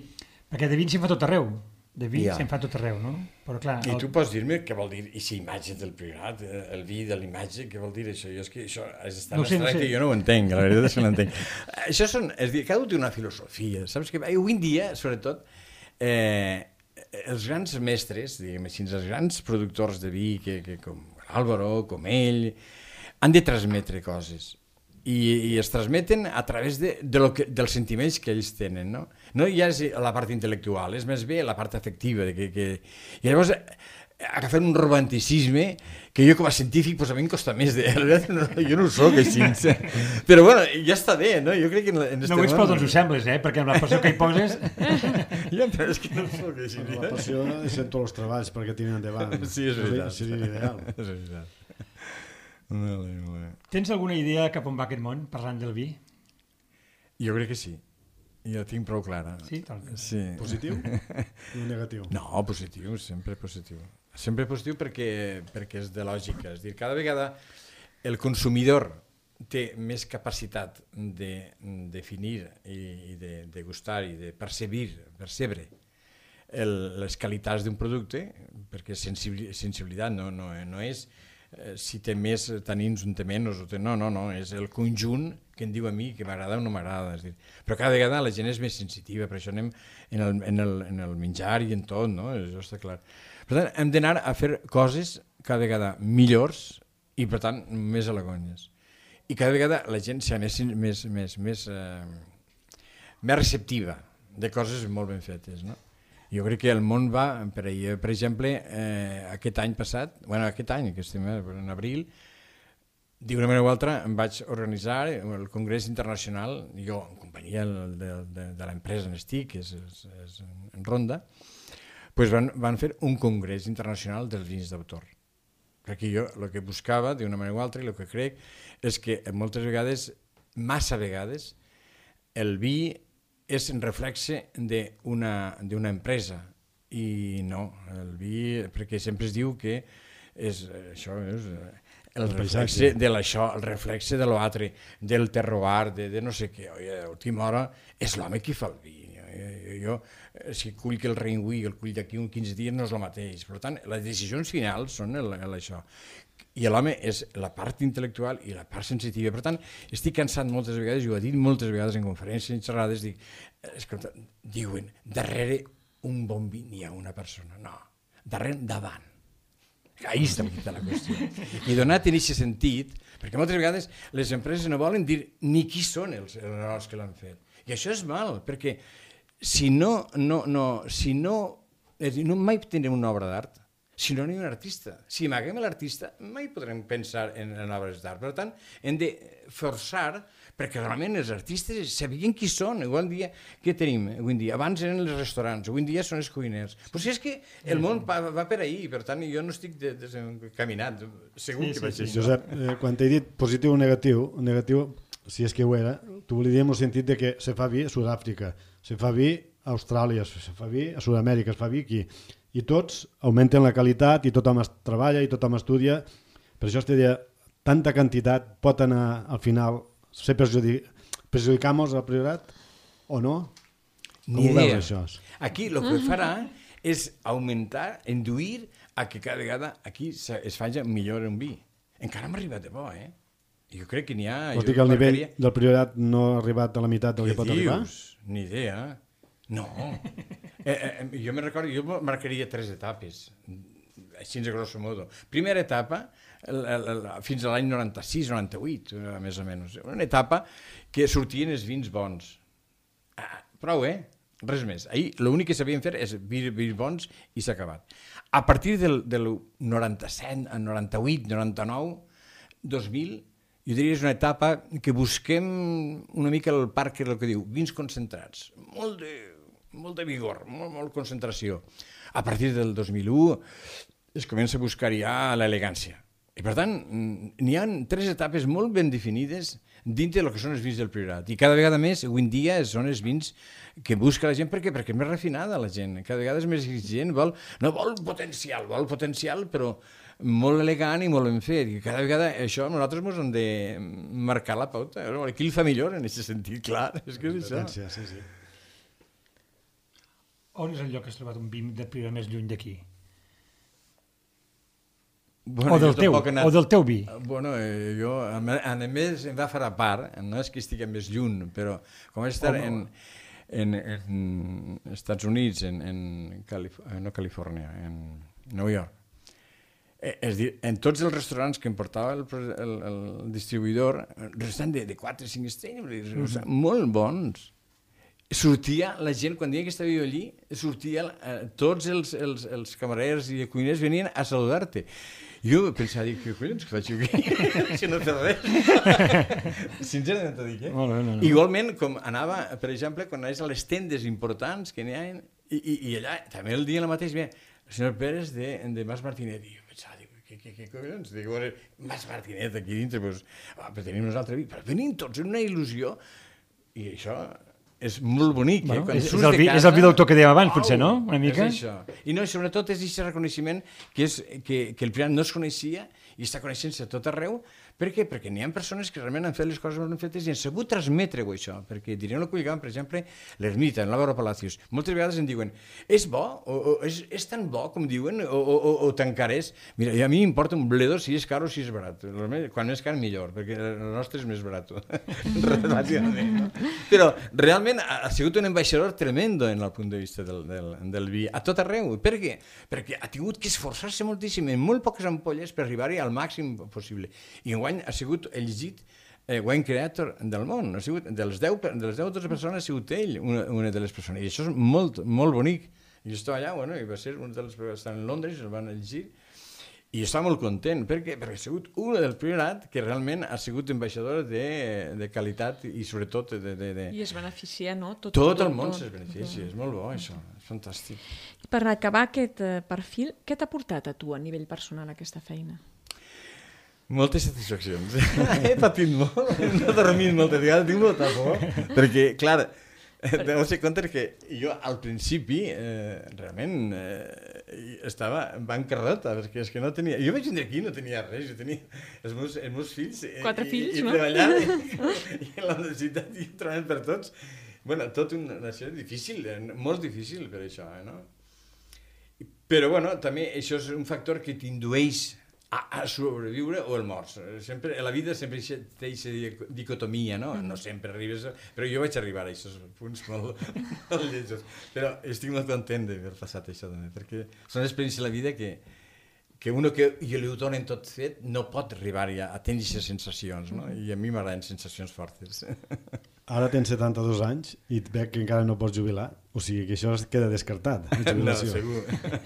perquè de vins se'n fa tot arreu. de vi se'n fa tot arreu, no? Però clar... I tu pots dir-me què vol dir aquesta imatge del Priorat, el vi de l'imatge, què vol dir això? Jo és que això és tan abstracte i jo no ho entenc, la veritat és que no entenc. Això són, és dir, cada un té una filosofia, saps? Que avui en dia, sobretot, els grans mestres, diguem així, els grans productors de vi, com Álvaro, com ell, han de transmetre coses. I es transmeten a través dels sentiments que ells tenen, no? No ja és la part intel·lectual, és més bé la part afectiva. I llavors agafar un romanticisme que jo com a científic pues, a mi em costa més jo no ho soc així, però bueno, ja està bé, no? Jo crec que no ho ets, però doncs ho sembles, perquè amb la passió que hi poses... Ja, però és que no ho soc així. La passió és en tots els treballs perquè tiren endavant. Sí, és veritat. Seria ideal. És veritat. Tens alguna idea cap on va aquest món, parlant del vi? Jo crec que sí. Jo tinc prou clara. Sí? Sí. Positiu o negatiu? No, positiu, sempre positiu. Sempre positiu perquè és de lògica. És dir, cada vegada el consumidor té més capacitat de definir i de degustar i de percebre les qualitats d'un producte, perquè sensibilitat no és si té més tanins, un té menys, no, és el conjunt que em diu a mi que m'agrada o no m'agrada. Però cada vegada la gent és més sensitiva, per això anem en el menjar i en tot, no? Això està clar. Per tant, hem d'anar a fer coses cada vegada millors i, per tant, més alegonyes. I cada vegada la gent s'anés més receptiva de coses molt ben fetes, no? Jo crec que el món va, per exemple, aquest any passat, aquest any, que estem en abril, d'una manera o altra em vaig organitzar el Congrés Internacional, jo en companyia de l'empresa on estic, que és en Ronda, doncs van fer un Congrés Internacional dels vins d'autor. Perquè jo el que buscava, d'una manera o altra, i el que crec, és que moltes vegades, massa vegades, el vi és un reflexe d'una empresa i no, el vi, perquè sempre es diu que això és el reflexe de l'això, el reflexe de l'altre, del terroir, de no sé què. A l'última hora és l'home qui fa el vi. Jo, si cull que el reingüí i el cull d'aquí uns 15 dies no és el mateix. Per tant, les decisions finals són això. I l'home és la part intel·lectual i la part sensitiva. Per tant, estic cansat moltes vegades, i ho he dit moltes vegades en conferències, en xerrades, diuen, darrere un bon vi n'hi ha una persona. No, davant. Ahí està la qüestió. I donat en aquest sentit, perquè moltes vegades les empreses no volen dir ni qui són els que l'han fet. I això és mal, perquè si no mai tindrem una obra d'art, si no hi ha un artista. Si amaguem l'artista, mai podrem pensar en obres d'art. Per tant, hem de forçar perquè realment els artistes sabien qui són. Igual dia, què tenim avui en dia? Abans eren els restaurants, avui en dia són els cuiners. Però si és que el món va per ahir, per tant, jo no estic caminant. Segur que vaig així. Josep, quan t'he dit positiu o negatiu, si és que ho era, t'ho volia dir en el sentit de que se fa vi a Sud-àfrica, se fa vi a Austràlia, se fa vi a Sud-amèrica, es fa vi aquí. I tots augmenten la qualitat i tothom es treballa i tothom estudia. Per això es deia, tanta quantitat pot anar al final ser perjudicamos al Priorat o no? Ni idea. Això? Aquí el que farà és augmentar, induir a que cada vegada aquí es faci millor un vi. Encara hem arribat de bo, Jo crec que n'hi ha... Vols dir que el nivell del Priorat no ha arribat a la meitat del que pot arribar? Ni idea. No. Jo me recordo, jo marcaria 3 etapes, així a grosso modo. Primera etapa, fins a l'any 96-98, més o menys. Una etapa que sortien els vins bons. Prou, res més. Ahir l'únic que sabien fer és vins bons i s'ha acabat. A partir del 97, 98, 99, 2000, jo diria que és una etapa que busquem una mica el Parker, el que diu, vins concentrats, molt de vigor, molt concentració. A partir del 2001 es comença a buscar ja l'elegància. I per tant, n'hi ha 3 etapes molt ben definides dintre del que són els vins del Priorat. I cada vegada més, avui en dia, són els vins que busca la gent. Per què? Perquè és més refinada la gent. Cada vegada és més exigent. No vol potencial, però molt elegant i molt ben fet. I cada vegada això nosaltres ens hem de marcar la pauta. Qui el fa millor en aquest sentit, clar. És que és això. Sí. On és el lloc que has trobat un vi de Priorat més lluny d'aquí? Bueno, o del teu vi? Bueno, jo, a més, em va fer a part, no és que estigui més lluny, però com vaig estar en Estats Units, no Califòrnia, en New York, és dir, en tots els restaurants que em portava el distribuïdor, restaurants de 4-5 estrelles, molt bons. Sortia la gent, quan deia que estava jo allí, tots els camarers i cuiners venien a saludar-te. Jo pensava, què collons que faig aquí? Si no he fet res. Sincerament t'ho dic, Igualment, com anava, per exemple, quan anaves a les tendes importants que n'hi ha, i allà, també el dia mateix, el senyor Pérez de Mas Martinet, i jo pensava, què collons? Dic, Mas Martinet aquí dintre, però tenim nosaltres vi, però venim tots en una il·lusió, i això és molt bonic. És el vi d'autor que dèiem abans, potser, no? Una mica. És això. I no, sobretot és aquest reconeixement que el Priorat no es coneixia i està coneixent-se a tot arreu. Per què? Perquè n'hi ha persones que realment han fet les coses ben fetes i han sabut transmetre-ho, això. Perquè direm el que lligaven, per exemple, l'Ermita, en l'Álvaro Palacios. Moltes vegades em diuen, és bo? O és tan bo com diuen? O tan car és? Mira, a mi m'importa un bledo si és car o si és barat. Quan més car, millor, perquè el nostre és més barat. Relativament, no? Però realment ha sigut un ambaixador tremendo en el punt de vista del vi, a tot arreu. Per què? Perquè ha tingut que esforçar-se moltíssim en molt poques ampolles per arribar-hi al màxim possible. I enguany ha sigut llegit wine creator del món. Ha sigut, de les 10 o 12 persones ha sigut ell una de les persones. I això és molt, molt bonic. I jo estava allà, i va ser un dels que estan en Londres, el van llegir, i estava molt content. Per què? Perquè ha sigut una del Priorat que realment ha sigut ambaixador de qualitat i sobretot I es beneficia, no? Tot el món es beneficia. És molt bo, això. És fantàstic. Per acabar aquest perfil, què t'ha portat a tu a nivell personal aquesta feina? Moltes satisfaccions. He patit molt, no he dormit moltes vegades, tinc molta por, perquè, clar, deu ser compte que jo al principi realment estava bancarrota, perquè és que no tenia... Jo vaig vindre aquí i no tenia res, jo tenia els meus fills... 4 fills, no? I treballant, i la necessitat i treballant per tots. Bueno, tot una situació difícil, molt difícil per això, no? Però, bueno, també això és un factor que t'indueix a sobreviure o el morts. Sempre, a la vida sempre té aquesta dicotomia, no? No sempre arribes... Però jo vaig arribar a aquests punts molt lletjos. Però estic molt content d'haver passat això també, perquè són experiències de la vida que uno que li ho donen tot fet no pot arribar a tenir aquestes sensacions, no? I a mi m'agraden sensacions fortes. Ara tens 72 anys i et veig que encara no pots jubilar. O sigui que això es queda descartat. No, segur.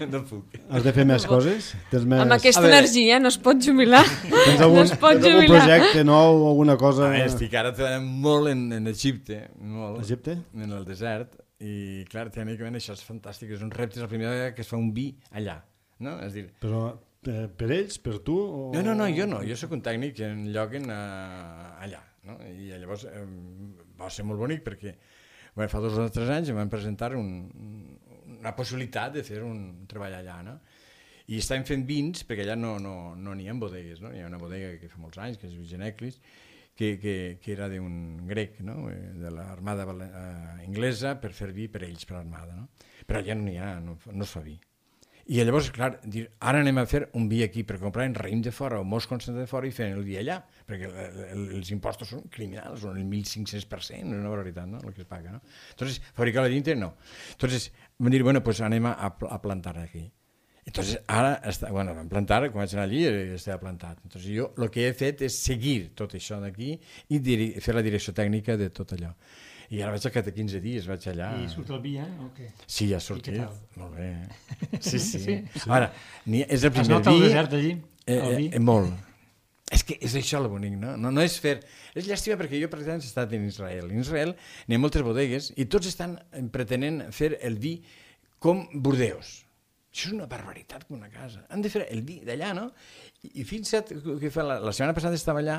No puc. Has de fer més coses? Amb aquesta energia no es pot jubilar. Tens algun projecte nou o alguna cosa? Estic ara treballant molt en Egipte. Molt. Egipte? En el desert. I clar, tècnicament això és fantàstic. És un repte, és la primera vegada que es fa un vi allà. No? És dir... Però per ells, per tu? O... No, jo no. Jo sóc un tècnic en lloc allà. No? I llavors va ser molt bonic perquè fa 2 o 3 anys em van presentar una possibilitat de fer un treball allà, no? I estàvem fent vins perquè allà no n'hi ha bodegues, no? Hi ha una bodega que fa molts anys que es diu Geneclis que era d'un grec, no? De l'armada inglesa per fer vi per ells, per l'armada, no? Però allà no n'hi ha, no es fa vi. I llavors, clar, dir, ara anem a fer un vi aquí per comprar en raïm de fora o most constant de fora i fer el vi allà, perquè els impostos són criminals, són el 1.500%, és una barbaritat, no?, el que es paga, no? Entonces, fabricar a dintre, no. Entonces, vam dir, bueno, pues anem a plantar aquí. Entonces, ara, vam plantar, quan vaig anar allí, estava plantat. Entonces, jo el que he fet és seguir tot això d'aquí i fer la direcció tècnica de tot allò. I ara vaig a cada 15 dies, vaig allà... I surt el vi, o què? Sí, ja ha sortit. Molt bé. Sí. Ara, és el primer vi... Has anat al desert allí, el vi? Molt. És que és això el bonic, no? No és fer... És llàstima perquè jo, per exemple, he estat en Israel. En Israel n'hi ha moltes bodegues i tots estan pretenent fer el vi com Burdeos. Això és una barbaritat com una casa. Han de fer el vi d'allà, no? I fins que la setmana passada estava allà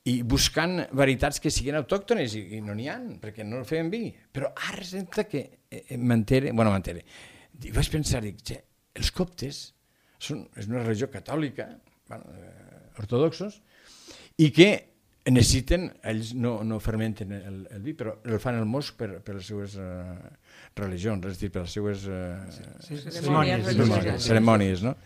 i buscant varietats que siguin autòctones i no n'hi ha, perquè no feien vi. Però ara resulta que m'entere. Vaig pensar, els coptes és una religió catòlica, ortodoxos, i que necessiten, ells no fermenten el vi, però el fan el most per les seues religions, és a dir, per les seues cerimònies, no?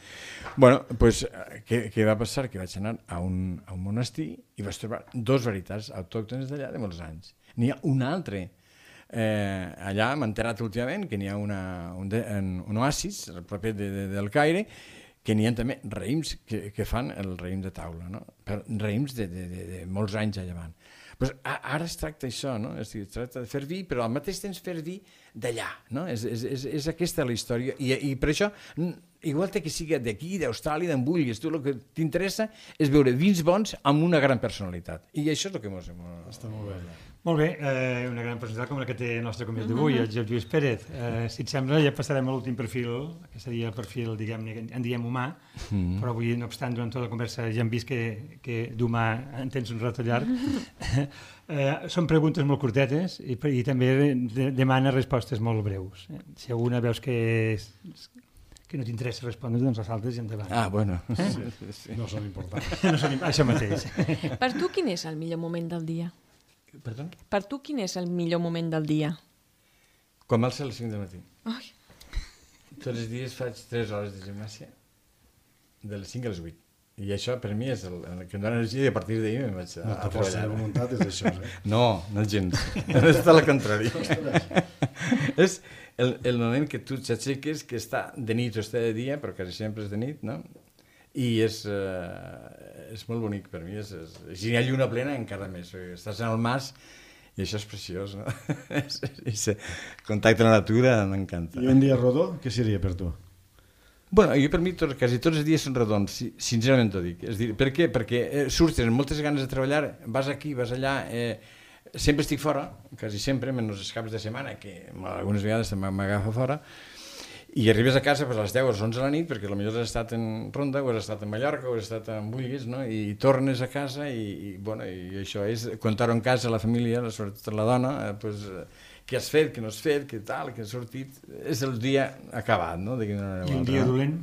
Bueno, doncs, què va passar? Que vaig anar a un monestir i vaig trobar dos varietats autòctones d'allà de molts anys. N'hi ha un altre. Allà m'he enterat últimament que n'hi ha un oasis, a prop del Caire, que n'hi ha també raïms que fan el raïm de taula, no? Raïms de molts anys allà. Pues ara es tracta això, no? Es tracta de fer vi, però al mateix temps fer vi d'allà, no? És aquesta la història, i per això, igual que sigui d'aquí, d'Austràlia, d'on vulguis, tu el que t'interessa és veure vins bons amb una gran personalitat, i això és el que ens... Està molt bé. Molt bé, una gran personalitat com la que té el nostre convidat d'avui, el Josep Lluís Pérez. Si et sembla, ja passarem a l'últim perfil, que seria el perfil, diguem-ne, en diem humà, però avui, no obstant, durant tota la conversa ja hem vist que d'humà en tens un rato llarg. Són preguntes molt curtetes i també demana respostes molt breus. Si alguna veus que no t'interessa respondre, doncs les altres i endavant. Ah, bueno. Sí. No són importants. Això mateix. Per tu, quin és el millor moment del dia? Perdó? Per tu, quin és el millor moment del dia? Quan m'alça a les 5 del matí. Ai. Tots els dies faig 3 hores de gimnàsia, de les 5 a les 8. I això, per mi, és el que em dona energia i a partir d'ahir me'n vaig a La força de voluntat és això, No gens. És tot el contrari. És el moment que tu t'aixeques, que està de nit o està de dia, però quasi sempre és de nit, no? I és molt bonic per mi. Si hi ha lluna plena, encara més. Estàs en el mas i això és preciós, no? Aquest contacte amb la natura m'encanta. I un dia rodó, què seria per tu? Bueno, jo per mi quasi tots els dies són redons, sincerament t'ho dic. És dir, per què? Perquè surts, tens moltes ganes de treballar, vas aquí, vas allà, sempre estic fora, quasi sempre, menys els caps de setmana, que algunes vegades m'agafa fora, i arribes a casa a les 10 o les 11 de la nit, perquè potser has estat en Ronda, o has estat en Mallorca, o has estat en Vulguis, no? I tornes a casa i això és, contar-ho en casa a la família, sobretot a la dona, doncs, què has fet, què no has fet, què tal, què has sortit, és el dia acabat, no? I un dia dolent?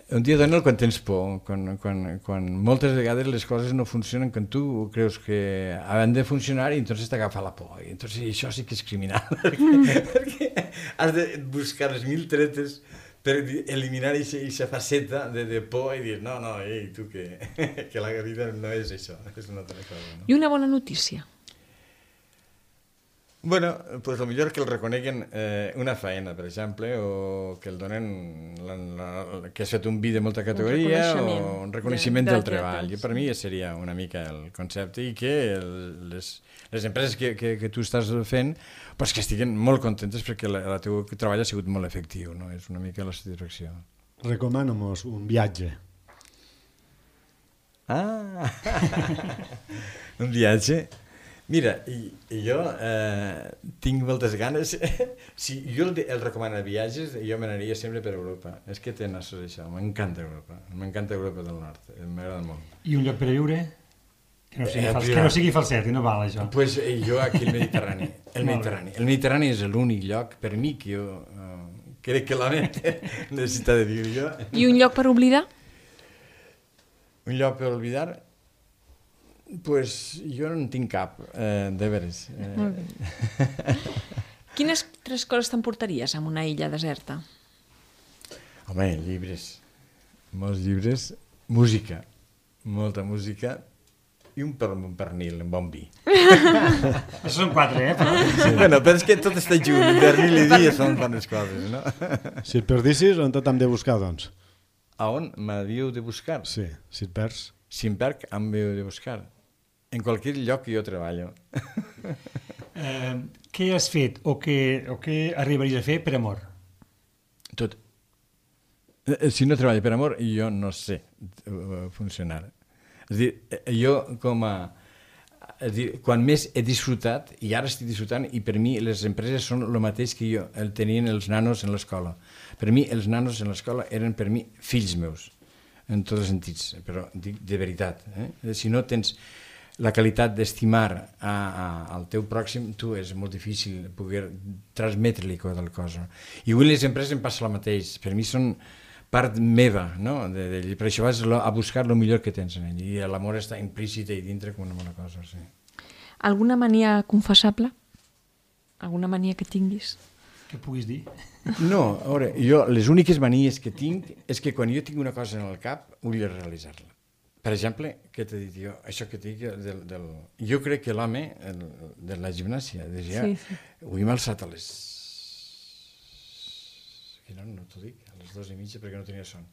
Un dia dolent quan tens por, quan moltes vegades les coses no funcionen quan tu creus que han de funcionar i entonces t'agafa la por. I entonces això sí que és criminal, perquè has de buscar les 1000 tretes per eliminar aquesta faceta de por i dir, no, ei, tu que la vida no és això, és una altra cosa. No? I una bona notícia? Bueno, pues millor que el reconeguen una feina, per exemple, o que el donen que has fet un vi de molta categoria o un reconeixement del treball. Per mi seria una mica el concepte i que les empreses que tu estàs fent pues que estiguen molt contentes perquè el teu treball ha sigut molt efectiu, no? És una mica la satisfacció. Recomana'm-nos un viatge. Ah! Un viatge? Mira, jo tinc moltes ganes. Si jo el recomano viatges, jo m'anaria sempre per Europa. És que té nassos això, m'encanta Europa. M'encanta Europa del Nord, m'agrada molt. I un lloc per a viure? Que no sigui falset, que no val això. Pues jo aquí el Mediterrani. El Mediterrani és l'únic lloc per mi que jo crec que l'home necessita de viure jo. I un lloc per oblidar? Un lloc per oblidar? Pues jo no en tinc cap, de veres. Quines 3 coses t'emportaries en una illa deserta? Home, llibres, molts llibres, música, molta música i un pernil, un bon vi. Això són 4, Però... Sí. Bueno, però és que tot està junt, pernil i vi són bones coses, no? Si et perdissis, on t'hem de buscar, doncs? A on m'havíeu de buscar? Sí, si et perds. Si em perc, em havíeu de buscar. En qualsevol lloc que jo treballo. Què has fet o què arribaries a fer per amor? Tot. Si no treballo per amor, jo no sé funcionar. És a dir, jo és dir, quan més he disfrutat, i ara estic disfrutant, i per mi les empreses són el mateix que jo tenien els nanos en l'escola. Per mi els nanos en l'escola eren per mi fills meus, en tots els sentits, però dic de veritat. Si no tens la qualitat d'estimar al teu pròxim, tu és molt difícil poder transmetre-li qualsevol cosa. I avui les empreses em passa el mateix. Per mi són part meva, no? Per això vas a buscar el millor que tens en ell, i l'amor està implícit i dintre com una bona cosa, sí. Alguna mania confessable? Alguna mania que tinguis? Que puguis dir? No, a veure, jo les úniques manies que tinc és que quan jo tinc una cosa en el cap vull realitzar-la. Per exemple, què t'he dit jo? Això que t'he dit jo crec que l'home de la gimnàsia, sí. Avui m'ha alçat a les... No t'ho dic, a les 2:30 perquè no tenia son.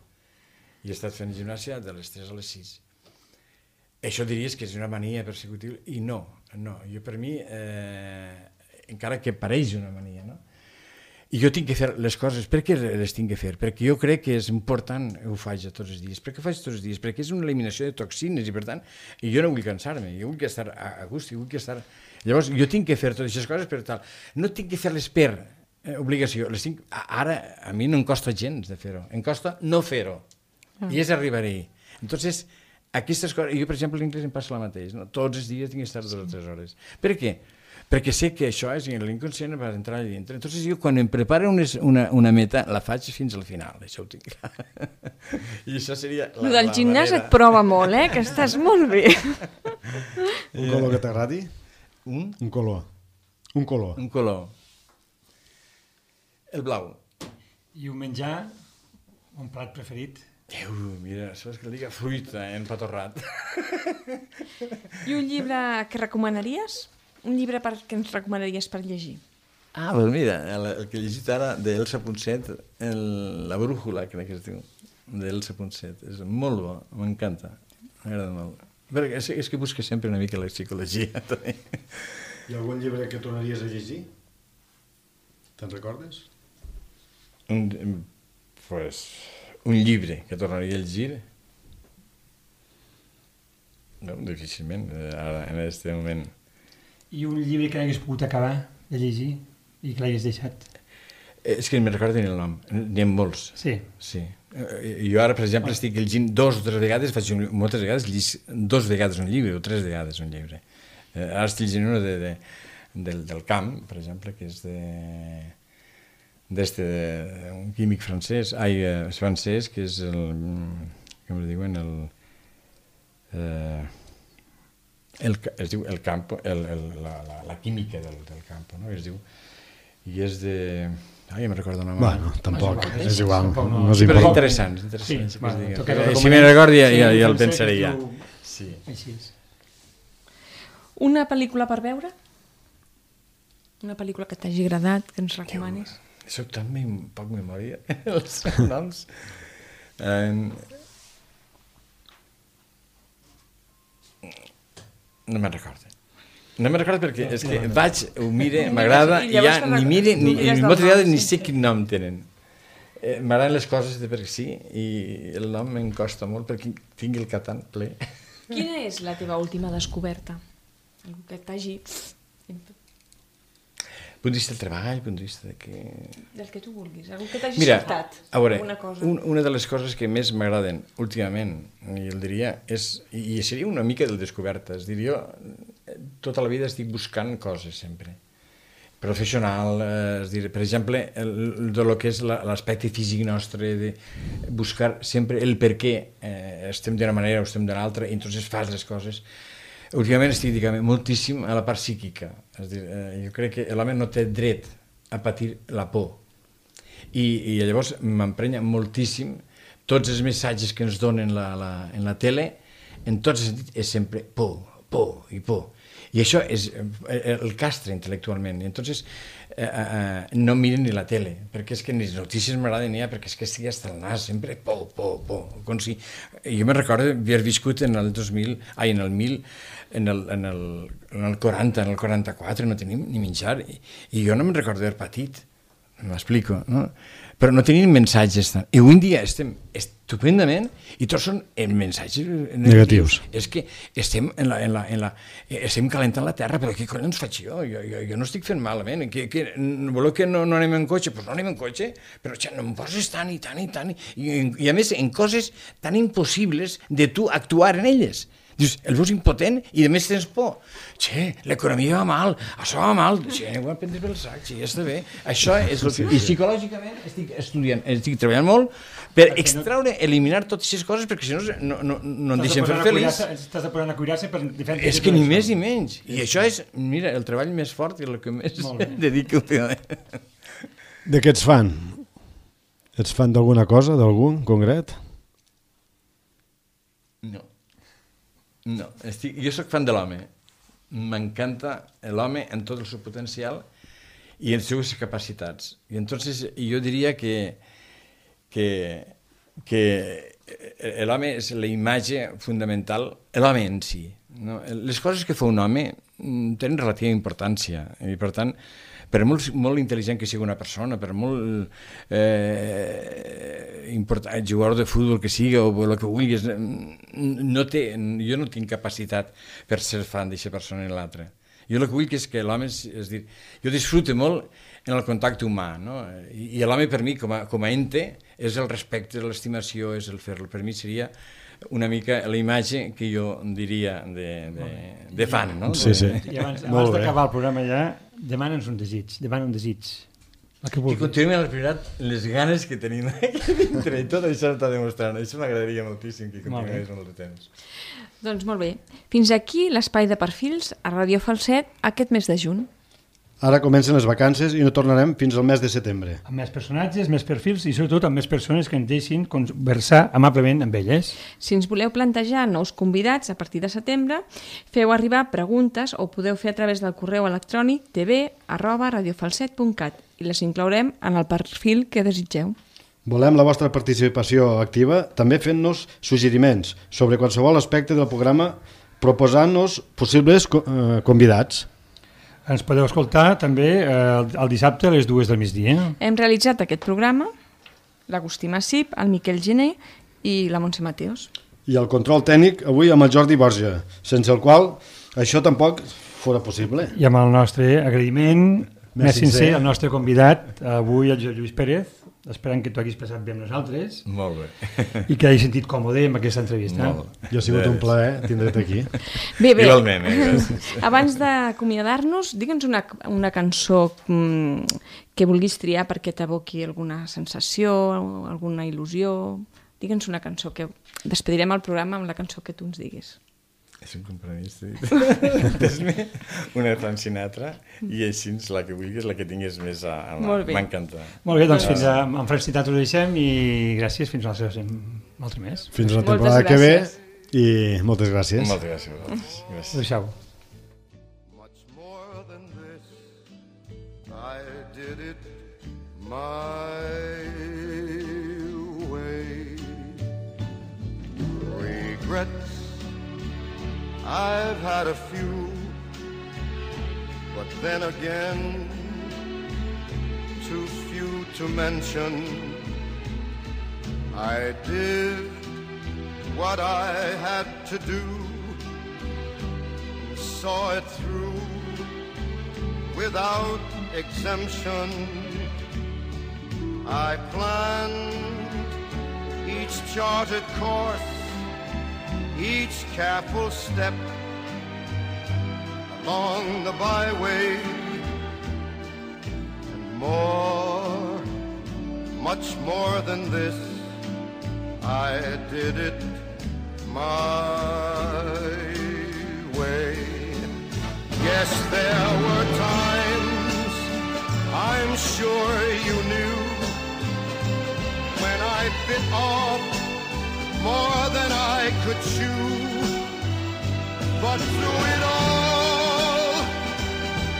I he estat fent gimnàsia de les 3 a les 6. Això diries que és una mania persecutiva i no, jo per mi, encara que pareix una mania, no? I jo tinc que fer les coses. Per què les tinc que fer? Perquè jo crec que és important, ho faig tots els dies. Per què ho faig tots els dies? Perquè és una eliminació de toxines i per tant, jo no vull cansar-me, jo vull estar a gust, jo vull estar... Llavors, jo tinc que fer totes aquestes coses per tal. No tinc que fer-les per obligació. Ara, a mi no em costa gens de fer-ho. Em costa no fer-ho. I és arribar-hi. Entonces, aquestes coses... Jo, per exemple, l'inglès em passa el mateix. No? Tots els dies tinc que estar 2 o 3 hores. Per què? Perquè sé que això és l'inconscient per entrar allà dintre. Entonces jo quan em preparo una meta la faig fins al final, això ho tinc. I això seria la del gimnàs et prova molt, que estàs molt bé. Un color que t'agradi? Un color. Un color. El blau. I un menjar, un plat preferit? Mira, saps que diga fruita empatorrat. I un llibre que recomanaries? Un llibre que ens recomanaries per llegir? Doncs mira, el que he llegit ara d'Elsa Ponset, La brújula, crec que es diu, d'Elsa Ponset. És molt bo, m'encanta, m'agrada molt. Perquè és que busca sempre una mica la psicologia, també. Hi ha algun llibre que tornaries a llegir? Te'n recordes? Un llibre que tornaria a llegir? No, difícilment, ara, en aquest moment. I un llibre que n'hagués pogut acabar de llegir i que l'hagués deixat? És que no me'n recordo ni el nom, n'hi ha molts. Sí. Jo ara, per exemple, estic llegint 2 o 3 vegades, moltes vegades llegis 2 vegades un llibre o 3 vegades un llibre. Ara estic llegint una del camp, per exemple, que és d'un químic francès, que és com li diuen, es diu el campo, la química del campo, no? Es diu, i és de... ja me'n recordo el nom. Bueno, tampoc, és igual. Però interessants. Si me'n recordo ja el pensaré ja. Així és. Una pel·lícula per veure? Una pel·lícula que t'hagi agradat, que ens recomanis? Soc tan poc memòria, els noms. No me'n recordo. No me'n recordo perquè és que vaig, ho mire, m'agrada, i ja ni mire, ni moltes vegades ni sé quin nom tenen. M'agraden les coses perquè sí, i el nom me'n costa molt perquè tinc el cap tan ple. Quina és la teva última descoberta? Algú que t'hagi... Punt de vista del treball, punt de vista del que tu vulguis, algú que t'hagi sobtat. A veure, una de les coses que més m'agraden últimament, i el diria, i seria una mica de descobertes, diria, tota la vida estic buscant coses sempre. Professional, per exemple, de lo que és l'aspecte físic nostre, de buscar sempre el per què estem d'una manera o estem d'una altra, i entonces fas les coses. Últimament estic dedicant moltíssim a la part psíquica. És a dir, jo crec que l'home no té dret a patir la por. I llavors m'emprenya moltíssim tots els missatges que ens donen en la tele, en tots els sentits, és sempre por i por. I això és el castre intel·lectualment. I entonces no miren ni la tele, perquè és que ni les notícies m'agraden ja, perquè és que estic hasta el nas, sempre por. Com si... Jo me'n recordo haver viscut en el 2000, en el 1000, en el 40, en el 44, no tenim ni menjar, i jo no me'n recordo d'haver patit, m'explico, no? Però no tenim mensatges. I avui en dia estem estupendament i tots són mensatges negatius. És que estem estem calentant la terra, però què collons faig jo? Jo no estic fent malament. Voleu que no anem en cotxe? Doncs no anem en cotxe, però no em poses tant i tant i tant. I a més, en coses tan impossibles de tu actuar en elles. Dius, el veus impotent i a més tens por. Che, l'economia va mal, això va mal. Che, ho hem prendre pel sac, ja està bé. Això és el que... I psicològicament estic estudiant, estic treballant molt per extraure, eliminar totes aquestes coses perquè si no em deixen fer feliç. Estàs apurant a cuidar-se per diferents... És que ni més ni menys. I això és, mira, el treball més fort i el que més dedico últimament. De què ets fan? Ets fan d'alguna cosa, d'algun concret? No, jo sóc fan de l'home. M'encanta l'home en tot el seu potencial i en les seves capacitats. I entonces jo diria que l'home és la imatge fundamental, l'home en si. No? Les coses que fa un home tenen relativa importància i per tant per molt intel·ligent que sigui una persona, per molt jugador de futbol que sigui o el que vulguis, jo no tinc capacitat per ser fan d'aquesta persona i l'altra. Jo el que vull és que l'home, és dir, jo disfruto molt en el contacte humà, no? I l'home per mi, com a ente, és el respecte, l'estimació, és el fer-lo. Per mi seria una mica la imatge que jo diria de fan, no? Sí, sí. I abans d'acabar el programa ja, demana'ns un desig, demana un desig. Que continuem a la prioritat les ganes que tenim aquí dintre i tot això està demostrant. Això m'agradaria moltíssim que continués molt de temps. Doncs molt bé. Fins aquí l'espai de perfils a Radio Falset aquest mes de juny. Ara comencen les vacances i no tornarem fins al mes de setembre. Amb més personatges, més perfils i sobretot amb més persones que ens deixin conversar amablement amb elles. Si ens voleu plantejar nous convidats a partir de setembre, feu arribar preguntes o podeu fer a través del correu electrònic tv@radiofalset.cat i les inclourem en el perfil que desitgeu. Volem la vostra participació activa, també fent-nos suggeriments sobre qualsevol aspecte del programa, proposant-nos possibles convidats. Ens podeu escoltar també el dissabte a les 2 del migdia. Hem realitzat aquest programa l'Agustí Massip, el Miquel Gené i la Montse Mateos. I el control tècnic avui amb el Jordi Borja, sense el qual això tampoc fora possible. I amb el nostre agraïment més sincer al nostre convidat, avui el Josep Lluís Pérez, esperant que t'ho haguis passat bé amb nosaltres. Molt bé. I que hagis sentit còmode amb aquesta entrevista. Jo ha sigut un plaer tindre't aquí. Bé. Igualment, gràcies. Abans d'acomiadar-nos, digue'ns una cançó que vulguis triar perquè t'evoqui alguna sensació, alguna il·lusió. Digue'ns una cançó que despedirem el programa amb la cançó que tu ens diguis. És un compromís, fes-me una de Frank Sinatra i així la que vulguis, la que tinguis més a mà. M'encanta. Molt bé, doncs fins amb Frank Sinatra ho deixem i gràcies, fins a un altre mes. Fins a la temporada que ve i moltes gràcies. Moltes gràcies a vosaltres. Adéu-siau. Much more than this, I did it my way. Regrets I've had a few, but then again, too few to mention. I did what I had to do, saw it through without exemption. I planned each charted course, each careful step along the byway, and more, much more than this, I did it my way. Yes, there were times, I'm sure you knew, when I bit off more than I could chew, but through it all,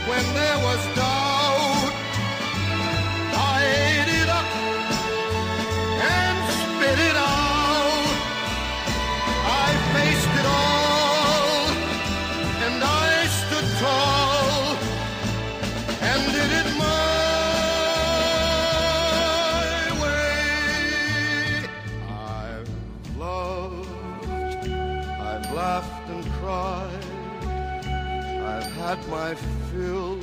when there was doubt, I ate it up and spit it out. I faced it all, and I stood tall, and did it my laughed and cried, I've had my fill,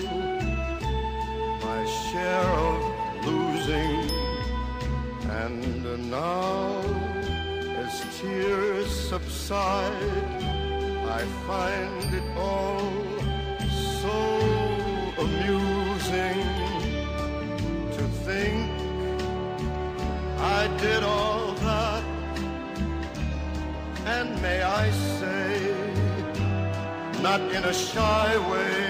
my share of losing, and now as tears subside, I find it all so amusing to think I did all that, and may I say, not in a shy way,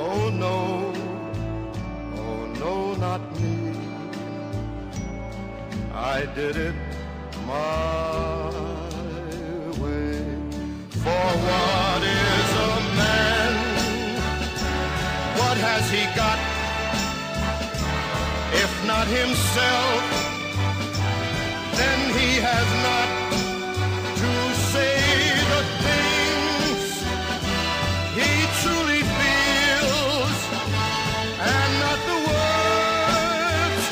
oh no, not me. I did it my way. For what is a man? What has he got? If not himself, then he has not to say the things he truly feels, and not the words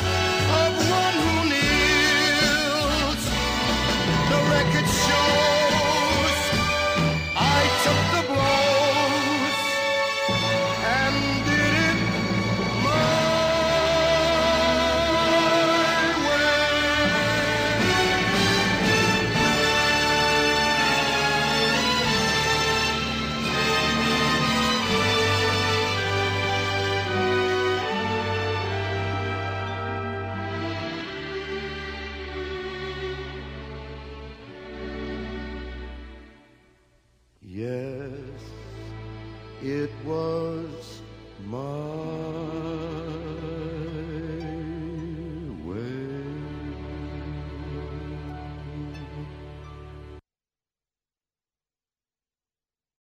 of one who kneels. The record shows I took the blows and did it my Yes, it was my